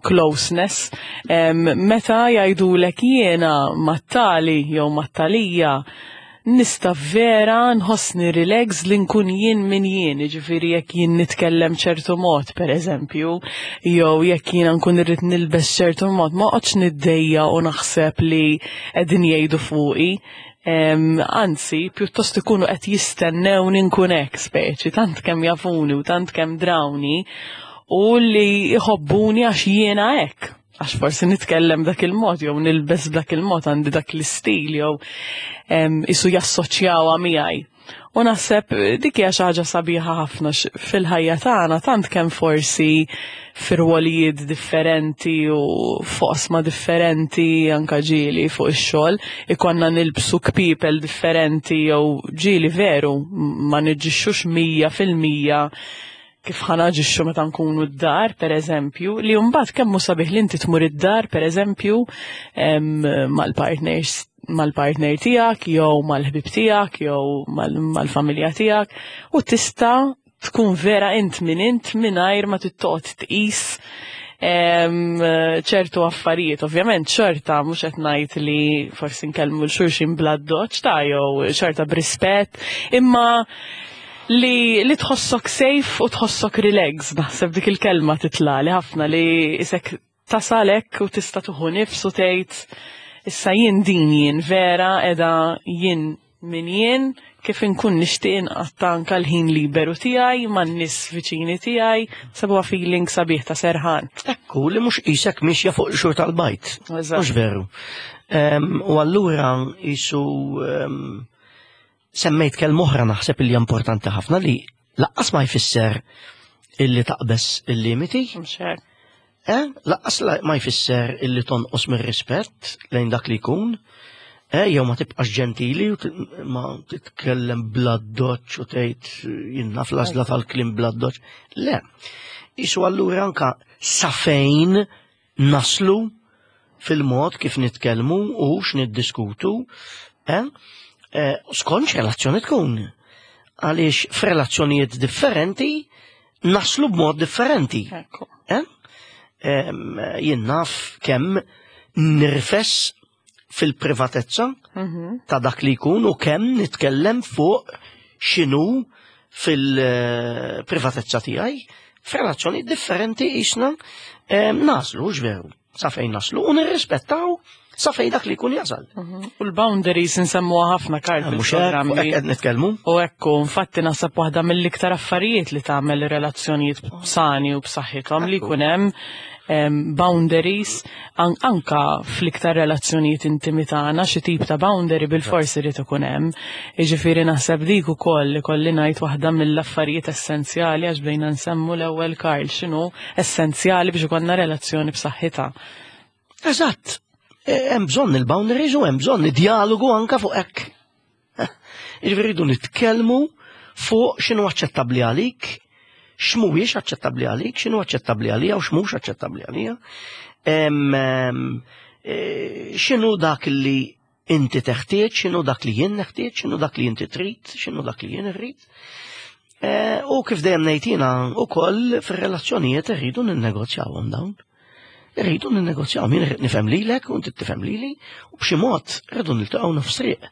closeness. Em, meta jgħidulek jiena mat-tali jew mat-talija nista vera nħossni relax li nkun jien min jien, ġifieri jekk jien nitkellem ċertu mod, per eżempju, jew jekk jiena nkun irrid nilbes ċertu mod, ma qgħodx niddejja u naħseb li qegħdin jgħidu fuqi. Em, anzi, pjuttost ikunu qed jistennewni nkun hekk speċi, tant kemm jafuni u tant kemm drawni u li jħobbuni għax jiena hekk. Għax forsi nitkellem dak il-mod, jew nilbes dak il-mod, għandi dak l-istil, jew em, isu jassoċjawha miegħi. U naħseb dik hija xi ħaġa sabiħa ħafna fil-ħajja tagħna, tant kemm forsi f'irwolijiet differenti u f'oqsma differenti, anka ġieli fuq ix-xogħol ikonna nilbsu kpipel differenti jew ġieli veru ma niġixxux mija fil-mija kif ħa naġixxu meta nkunu d-dar, per eżempju, li mbagħad kemm hu sabiħ li inti tmur id-dar, per eżempju, mal-partners mal-partner tiegħek jew mal-ħbib tiegħek jew mal-familja tiegħek u tista' tkun vera int min int mingħajr ma tittoqgħod tqis ċertu affarijiet. Ovvjament xorta mhux qed ngħid li forsi nkellmu 'l xulxin bl-addoċċ ta' jew xorta b'rispett, imma li, li tħossok safe u tħossok relax, naħseb dik il-kelma titlagħli ħafna, li isek tasalek u tista' tieħu nifs u tgħid, "Issa jien din jien vera edha jien min jien, kif inkun nixtieq inqatta' anka l-ħin liberu tiegħi man-nies viċini tiegħi", sabuha feeling sabiħ ta' serħan. Ekku, li mhux qisek mixja fuq xur tal-bajt. Mhux veru. U allura jisu semmejt kelma oħra naħseb li importanti ħafna, li lanqas ma jfisser illi taqbeż il-limiti. Eh? Lanqas ma jfisser illi tonqos mir-rispett lejn dak li jkun. Eh, jew ma tibqax ġentili u ma titkellem bl-addoċċ u tgħid jiena fl-għażla tal-kliem bl-addoċċ. Le. Isu allura anka sa fejn naslu fil-mod kif nitkellmu u x'niddiskutu, eh? Eh, skont relazzjoni tkun. Għaliex f'relazzjonijiet differenti naslu b'mod differenti. Eh? Jien naf kemm nirfes fil-privatezza mhm. ta' dak li jkun u kemm nitkellem fuq x'inhu fil-privatezza tiegħi. F'relazzjoni differenti jisna naslu, veru, sa fejn naslu u nirrispettaw sa fejn dak li jkun jasal. Mhm. U l-boundaries nsemmuha ħafna, Karl, ah, fil-programmi. Qed nitkellmu. U ekku, infatti naħseb waħda mill-iktar affarijiet li tagħmel relazzjonijiet sani u b'saħħithom li jkun hemm boundaries anka fl-iktar relazzjonijiet intimi tagħna, xi tip ta' boundary bil-forsi irid ikun hemm. Jiġifieri naħseb dik ukoll li kolli ngħid waħda mill-affarijiet essenzjali, għax bdejna nsemmu l-ewwel, Karl, x'inhu essenzjali biex ikollna relazzjoni b'saħħitha. Eżatt. E, hemm bżonn il-boundaries u hemm bżonn id-dialogu anka fuq hekk. Jiġifieri rridu nitkellmu fuq x'inhu aċċettabbli għalik, x'mhuwiex aċċettabbli għalik, x'inhu aċċettabbli għalija u x'mhux aċċettabbli għalija. E, x'inhu dak li inti teħtieġ, x'inhu dak li jien neħtieġ, x'inhu dak li inti trid, x'inhu dak li jien irrid. E, u kif dejjem ngħid jiena wkoll, fir-relazzjonijiet irridu ninnegozjawhom dawn. Irridu ninnegozjawhom, jien irrid nifhem lilek u inti tifhem lili u b'xi mod irridu niltaqgħu nofs triq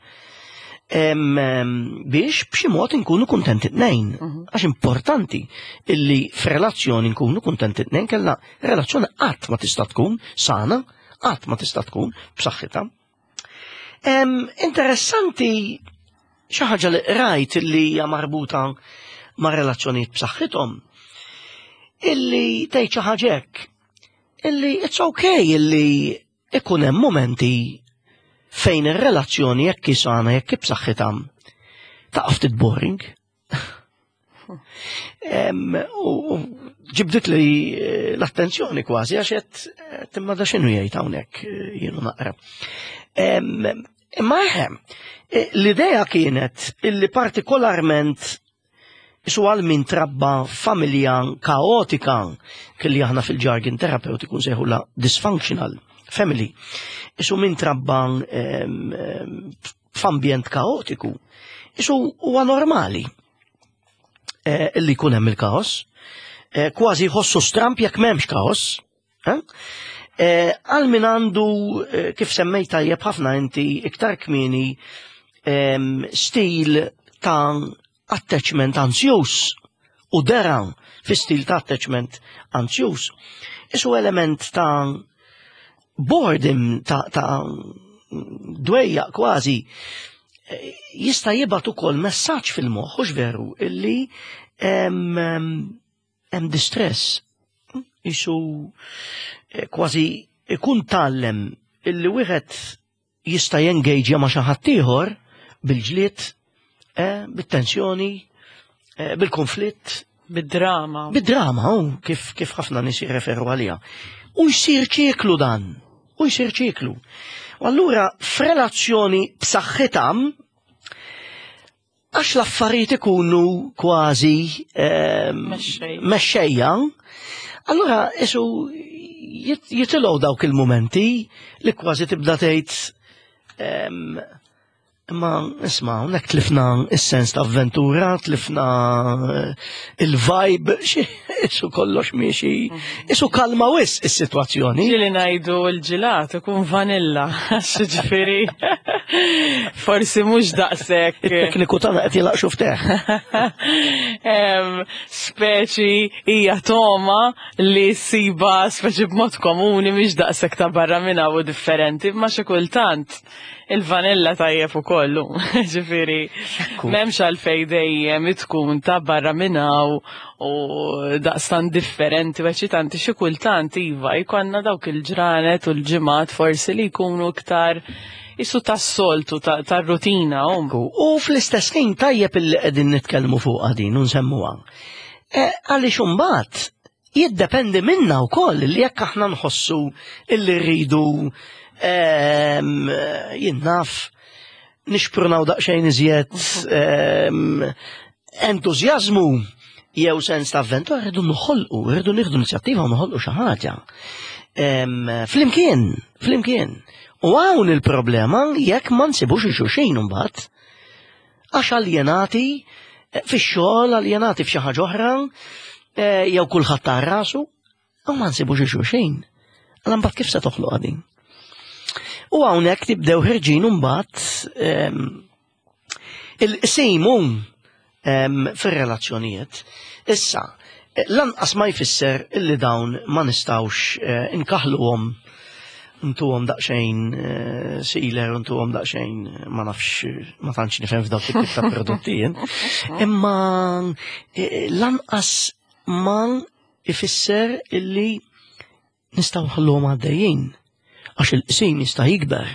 biex b'xi mod inkunu kuntenti tnejn. Mhm. Għax importanti illi f'relazzjoni nkunu kuntenti tnejn, kella relazzjoni qatt ma tista' tkun sana, qatt ma tista' tkun b'saħħitha. Interessanti xi ħaġa li rajt illi hija marbuta ma' relazzjonijiet b'saħħithom, illi tgħid xi ħaġa hekk, illi it's okay illi ikun hemm momenti fejn ir-relazzjoni, jekk sana, jekk b'saħħitha, taqa' ftit boring. U ġibdit li eh, l-attenzjoni kważi, għax qed imma da x'inhu jgħid hawnhekk, eh, jienu naqra. Imma eħe, eh, l-idea kienet illi partikolarment su għal min trabba familja kaotika, kelli aħna fil-jargon terapeutiku nsejħula dysfunctional family. Isu min trabba f'ambjent kaotiku, isu huwa normali eh, illi jkun hemm il-kaos, eh, kważi jħossu stramp jekk m'hemmx kaos. Eh? Għal min għandu, kif semmejt tajjeb ħafna inti iktar kmieni, stil ta' attachment ansjus u dera fi stil ta' attachment ansjus. Isu element ta' boredom, ta', ta dwejja kważi, jista' jibgħat ukoll messaġġ fil-moħħ, hux veru, illi hemm distress. Isu eh, kważi ikun tgħallem illi wieħed jista' jengaġja ma' xi ħadd ieħor bil-ġlied. eh, bit-tensjoni, eh, bil-konflitt. Bid-drama. Bid-drama, oh, kif, kif ħafna nies jirreferu għaliha. U jsir ċiklu dan, u jsir ċiklu. U allura f'relazzjoni b'saħħitha, għax l-affarijiet ikunu kważi mexxejja, allura isu jitilgħu dawk il-mumenti li kważi tibda tgħid imma isma' hawnhekk tlifna is-sens ta' avventura, tlifna il-vibe, isu kollox miexi, isu kalma wisq is-sitwazzjoni. Ġieli ngħidu l-ġilat ikun vanilla, ġifieri forsi mhux daqshekk. It-tekniku tagħna qed jilaq xufteħ. Speċi hija toma li siba speċi b'mod komuni mhix daqshekk ta' barra minn hawn differenti, imma xi kultant il-vanilla tajjeb ukollu. Ġifieri m'hemmx għalfejn dejjem tkun ta' barra minn hawn u daqstan differenti u eċitanti, xi kultant iva jkollna dawk il-ġranet u l-ġimgħat forsi li jkunu iktar isu tas-soltu tar-rutina. U fl-istess ħin tajjeb illi qegħdin nitkellmu fuq din u nsemmuha. Għaliex imbagħad jiddependi minna wkoll li jekk aħna nħossu illi rridu jien naf nixprunaw daqsxejn iżjed entużjażmu jew sens ta' avventura, rridu noħolqu, rridu nieħdu inizjattiva u noħolqu xi ħaġa. Flimkien, flimkien. U hawn il-problema jekk ma nsibux il-xulxin imbagħad, għax aljenati fix-xogħol, aljenati f'xi ħaġa oħra, jew kulħadd ta' rasu, u ma nsibux il-xulxin. Allura mbagħad kif se toħloq din? U hawnhekk tibdew ħirġin imbagħad il-qsimu fir-relazzjonijiet. Issa, lanqas ma jfisser illi dawn ma nistgħux inkaħluhom, ntuhom daqsxejn sealer, ntuhom daqsxejn ma nafx, ma tantx nifhem f'dawk it-tip ta' prodotti jien. Imma lanqas ma ifisser illi nistgħu nħalluhom għaddejjin, għax il-qsim jista' jikber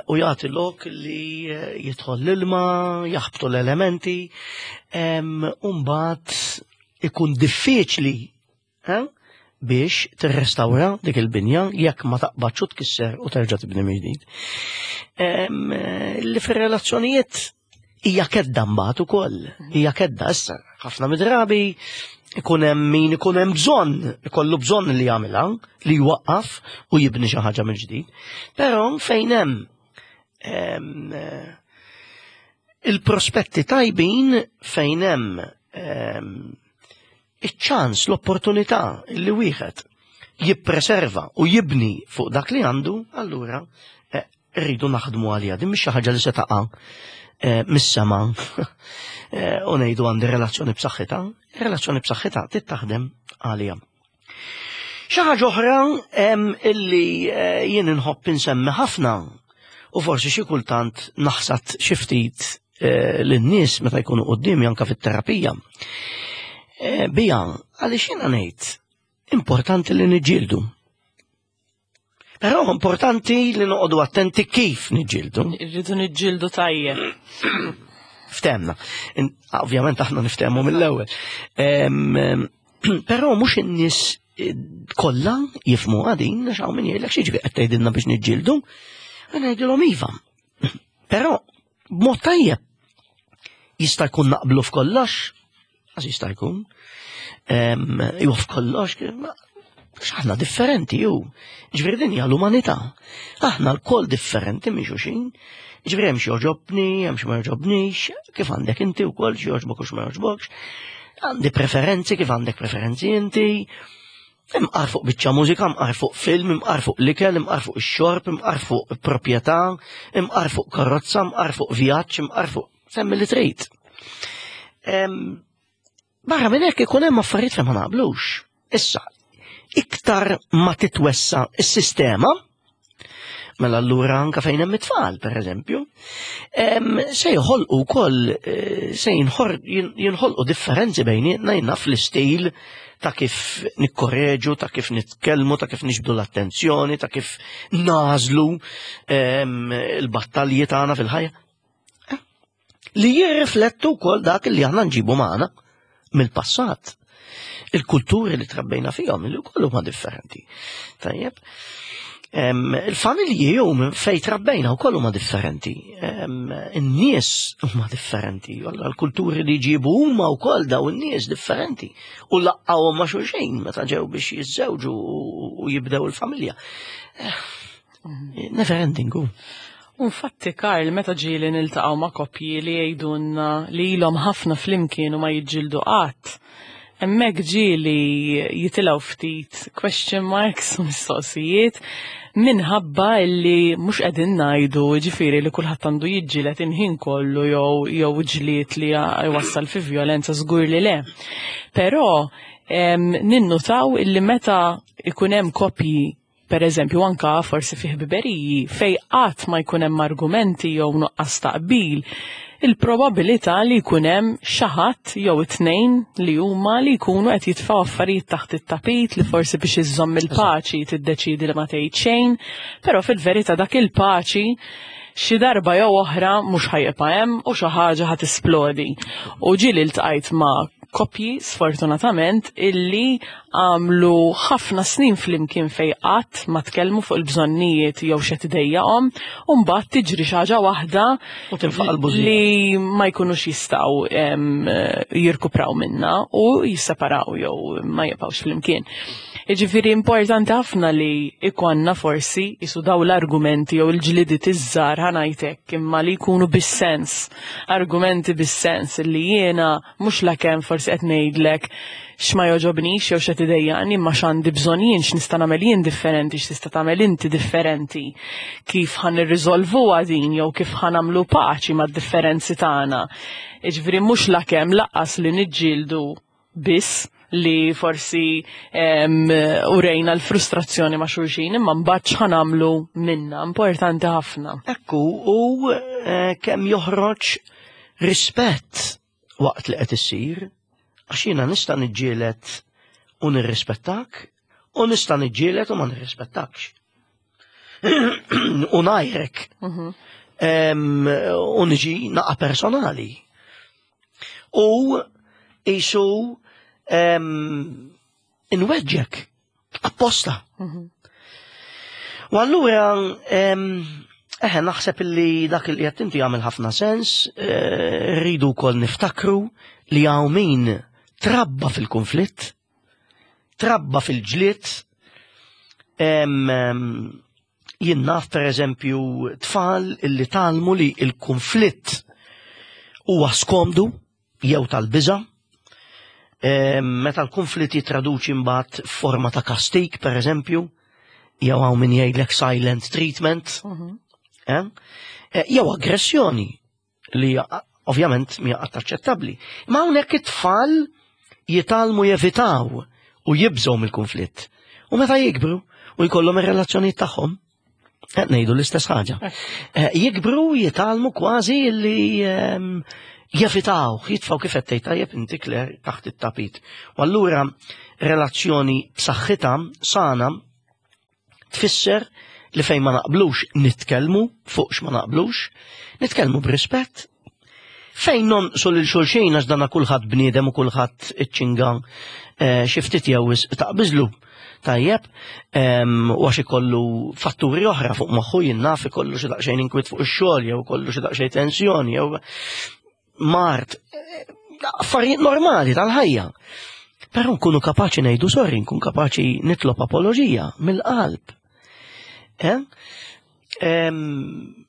u jagħti lok li jidħol l-ilma, jaħbtu l-elementi, u mbagħad ikun diffiċli biex tirrestawra dik il-binja jekk ma taqbadx u tkisser u terġa' tibni mill-ġdid. Li fir-relazzjonijiet hija kedda mbagħad ukoll, hija kedda issa ħafna midrabi ikun hemm min ikun hemm bżonn, ikollu bżonn li jagħmilha, li jwaqqaf u jibni xi ħaġa mill-ġdid. Però fejn hemm il-prospetti tajbin, fejn hemm iċ-ċans, l-opportunità li wieħed jippreserva u jibni fuq dak li għandu, allura rridu naħdmu għalija. Din mhix xi ħaġa li se taqa' mis-sema u ngħidu għandi relazzjoni b'saħħitha. Relazzjoni b'saħħitha trid taħdem għalija. Xi ħaġa oħra illi jien inħobb insemmi ħafna u forsi xi kultant naħsad xi ftit lin-nies meta jkunu quddiemi anke fit-terapija. Bija, għaliex jiena ngħid importanti li niġġieldu. Però importanti li noqogħdu attenti kif niġġieldu. Irridu niġġieldu tajjeb. Ftemna. Ovvjament aħna niftehmu mill-ewwel. Però mhux in-nies kollha jifhmu għadin, għax hawn min jgħidlek xi qed tgħidilna biex niġġieldu. Ngħidilhom iva. Però b'mod tajjeb jista' jkun naqblu f'kollox, għax jista' jkun. Jew f'kollox, aħna differenti ju. Ġifieri din hija l-umanità. Aħna lkoll differenti minn xulxin. Ġifieri hemm xi jogħġobni, hemm xi ma jogħġobnix, kif għandek inti wkoll xi jogħġbok u xi ma jogħġbokx. Għandi preferenzi kif għandek preferenzi inti. Imqar fuq biċċa mużika, imqar fuq film, imqar fuq l-ikel, imqar fuq ix-xorb, imqar fuq proprjetà, imqar fuq karozza, imqar fuq vjaġġ, imqar fuq semmi li trid. Barra minn hekk ikun hemm affarijiet fejn ma naqblux. Issa, iktar ma titwessa s-sistema, mela allura anka fejn hemm it-tfal, pereżempju, se joħolqu wkoll se jinħolqu differenzi bejnietna jiena fl-istil ta' kif nikkorreġu, ta' kif nitkellmu, ta' kif nixbdu l-attenzjoni, ta' kif nażlu il-battalji tagħna fil-ħajja. Li jirriflettu wkoll dak li aħna nġibu magħna mill-passat. Il-kulturi li trabbejna fihom li wkoll huma differenti. Tajjeb. Il-familji jew minn fejn trabbejna wkoll huma differenti. In-nies huma differenti. L-kulturi li jġibu huma wkoll daw in-nies differenti. U laqqgħuhom ma' xulxin meta ġew biex jiżżewġu u jibdew il-familja. Never ending. Infatti, Karl, meta ġieli niltaqgħu ma' koppji li jgħidulna li ilhom ħafna flimkien u ma jiġġieldu qatt, hemmhekk ġieli jitilgħu ftit question marks u mistoqsijiet minħabba illi mhux qegħdin ngħidu ġifieri li kulħadd għandu jiġġieled il-ħin kollu jew jew ġlied li jwassal fi vjolenza, żgur li le. Però ninnutaw illi meta ikun hemm koppji, per eżempju, anka forsi fi ħbiberiji fej qatt ma jkun hemm argumenti jew nuqqas taqbil, il-probabilità li jkun hemm xi ħadd jew it-tnejn li huma li jkunu qed jitfgħu affarijiet taħt it-tapit, li forsi biex iżżomm il-paċi tiddeċidi li ma tgħid xejn, però fil-verità dak il-paċi xi darba jew oħra mhux ħa jibqa' hemm u xi ħaġa ħa tisplodi. U ġieli ltqajt ma' koppji, sfortunatament, illi għamlu ħafna snin flimkien fej qatt ma tkellmu fuq il-bżonnijiet jew x'qed idejjaqhom, u mbagħad tiġri xi ħaġa waħda U tinfaqa' l-bużija. li ma jkunux jistgħu em, jirkupraw minna u jisseparaw jew ma jibqgħux flimkien. Jiġifieri importanti ħafna li ikonna forsi jisu daw l-argumenti jew il-ġlidiet iż-żgħar, ħa ngħidlek, imma li jkunu bis-sens, argumenti bis-sens li jiena mhux lakemm forsi qed ngħidlek x'ma jogħġobnix jew x'qed idejjaqni, imma x'għandi bżonn jien, x'nista' nagħmel jien differenti, x'tista' tagħmel inti differenti, kif ħa nirriżolvuha din jew kif ħa nagħmlu paċi mad-differenzi tagħna. Jiġifieri mhux lakemm lanqas li niġġieldu biss li forsi em, urejna l-frustrazzjoni ma' xulxin, imma mbagħad x'ħa nagħmlu minna, importanti ħafna. Ekku, u eh, kemm joħroġ rispett waqt li qed issir, għax jiena nista' niġġieled u nirrispettak, u nista' niġġieled u ma nirrispettakx. U ngħajrek. Em, U niġi naqa personali. U isu em, inweġġek apposta. U allura em, eħe, naħseb illi dak li qed inti jagħmel ħafna sens, eh, rridu wkoll niftakru li hawn min trabba fil-konflitt, trabba fil-ġlied, em, em, jien naf per eżempju tfal illi tgħallmu li il-konflitt huwa skomdu jew tal-biża', em, meta l-konflitt jitraduċi mbagħad forma ta' kastik, per eżempju, jew hawn min jgħidlek silent treatment, eh? Eh, jew aggressjoni li ovvjament mhija qatt aċċettabbli. Ma hawnhekk it-tfal jitgħallmu jevitaw u jibżgħu mill-konflitt. U meta jikbru u jkollhom ir-relazzjonijiet tagħhom, qed ngħidu l-istess ħaġa. Eh, Jikbru jitgħallmu kważi li ehm, jevitaw, jitfgħu, kif qed tgħid tajjeb inti, Claire, taħt it-tapit. U allura relazzjoni b'saħħitha sana tfisser li fejn ma naqblux nitkellmu fuq x'ma naqblux, nitkellmu b'rispett. Fejn nonqsu lil xulxin, għax dana kulħadd bniedem u kulħadd iċ-ċinga eh, xi ftit jew wisq taqbiżlu. Tajjeb, em, u għax ikollu fatturi oħra fuq moħħu, jien naf, ikollu xi daqsxejn inkwiet fuq ix-xogħol jew ikollu xi daqsxejn tensjoni jew mard, eh, affarijiet normali tal-ħajja. Però nkunu kapaċi ngħidu sorry, nkun kapaċi nitlob apoloġija mill-qalb. Eh? Em,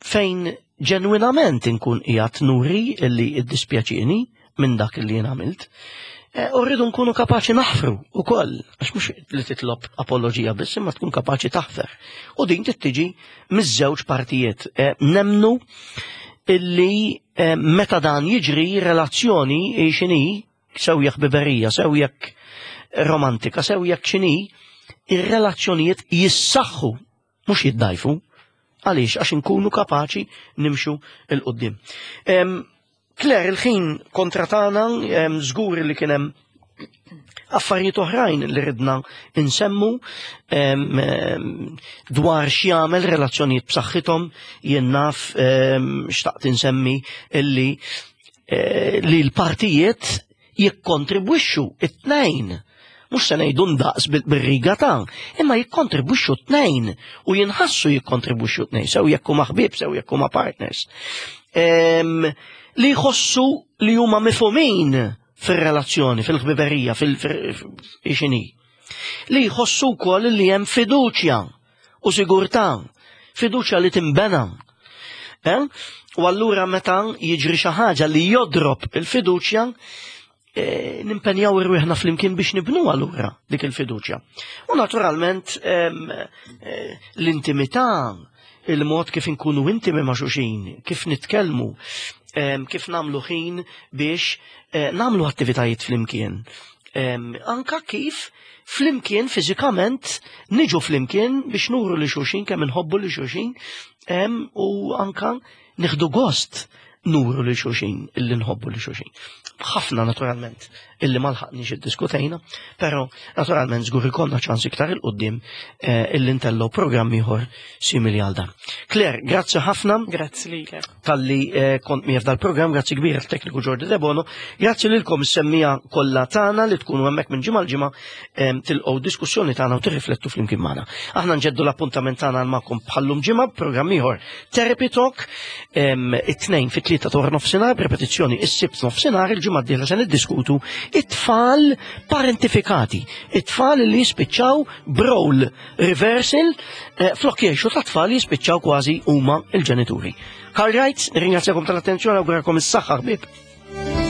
fejn ġenwinament inkun qiegħed nuri illi iddispjaċini minn dak li jien għamilt. Eh, U rridu nkunu kapaċi naħfru ukoll, għax mhux li titlob apoloġija biss, imma tkun kapaċi taħfer. U din tittiġi miż-żewġ partijiet. Eh, Nemnu illi eh, meta dan jiġri, relazzjoni x'inhi, sew jekk ħbiberija, sew jekk romantika, sew jekk x'inhi, ir-relazzjonijiet jissaħħu, mhux jiddajfu. Għaliex? Għax inkunu kapaċi nimxu 'l quddiem. Claire, il-ħin kontra tagħna, żgur li kien hemm Affarijiet oħrajn li ridna insemmu em, em, dwar x'jagħmel relazzjonijiet b'saħħithom, jien naf em, xtaqt insemmi illi eh, li l-partijiet jikkontribwixxu it-tnejn. Mhux se ngħidu ndaqs bil- bir-riga ta', imma jikkontribwixxu t-tnejn u jinħassu jikkontribwixxu t-tnejn, sew jekk huma ħbieb, sew jekk huma partners. Em, li jħossu li huma mifhumin fir-relazzjoni, fil-ħbiberija, fil-xini. Li jħossu wkoll li hemm fiduċja u sigurtà, fiduċja li timbena. Eh? U allura meta jiġri xi ħaġa li jodrob il-fiduċja, eh, nimpenjaw irwieħna flimkien biex nibnu allura dik il-fiduċja. U naturalment em, eh, l-intimità, il-mod kif inkunu intimi ma' xulxin, kif nitkellmu, em, kif namlu ħin biex eh, namlu attivitajiet flimkien. Em, Anka kif flimkien fiżikament niġu flimkien biex nuru li xulxin kemm inħobbu li xulxin em, u anka nieħdu gost nuru li xulxin illi nħobbu li xulxin. Ħafna naturalment illi ma lħaqniex iddiskutejna, però naturalment żgur ikollna ċans iktar 'il quddiem eh, illi ntellgħu programm ieħor simili għal dan. Claire, grazzi ħafna Grazzi lilek. talli eh, kont miegħi f'dal-programm, grazzi kbir tekniku Jordi Debono, grazzi lilkom is-semmiegħa kollha tagħna li tkunu hemmhekk minn ġimgħa l-ġimgħa em, tilqgħu diskussjoni tagħna u tirriflettu flimkien magħna. Aħna nġeddu l-appuntament tagħna magħkom bħallum ġimgħa programm ieħor Therapy Talk em, it-tnejn fit-tlieta ta' nofsinhar, b'repetizzjoni is-sibt nofsinhar, il-ġimgħa d-dieħla se niddiskutu it-tfal parentifikati, it-tfal li jispiċċaw b'role reversal, eh, flok jgħixu ta' tfal jispiċċaw kważi huma il-ġenituri. Karl Wright, ringrazzjakom tal-attenzjoni, awguralkom is-saħħa ħbieb.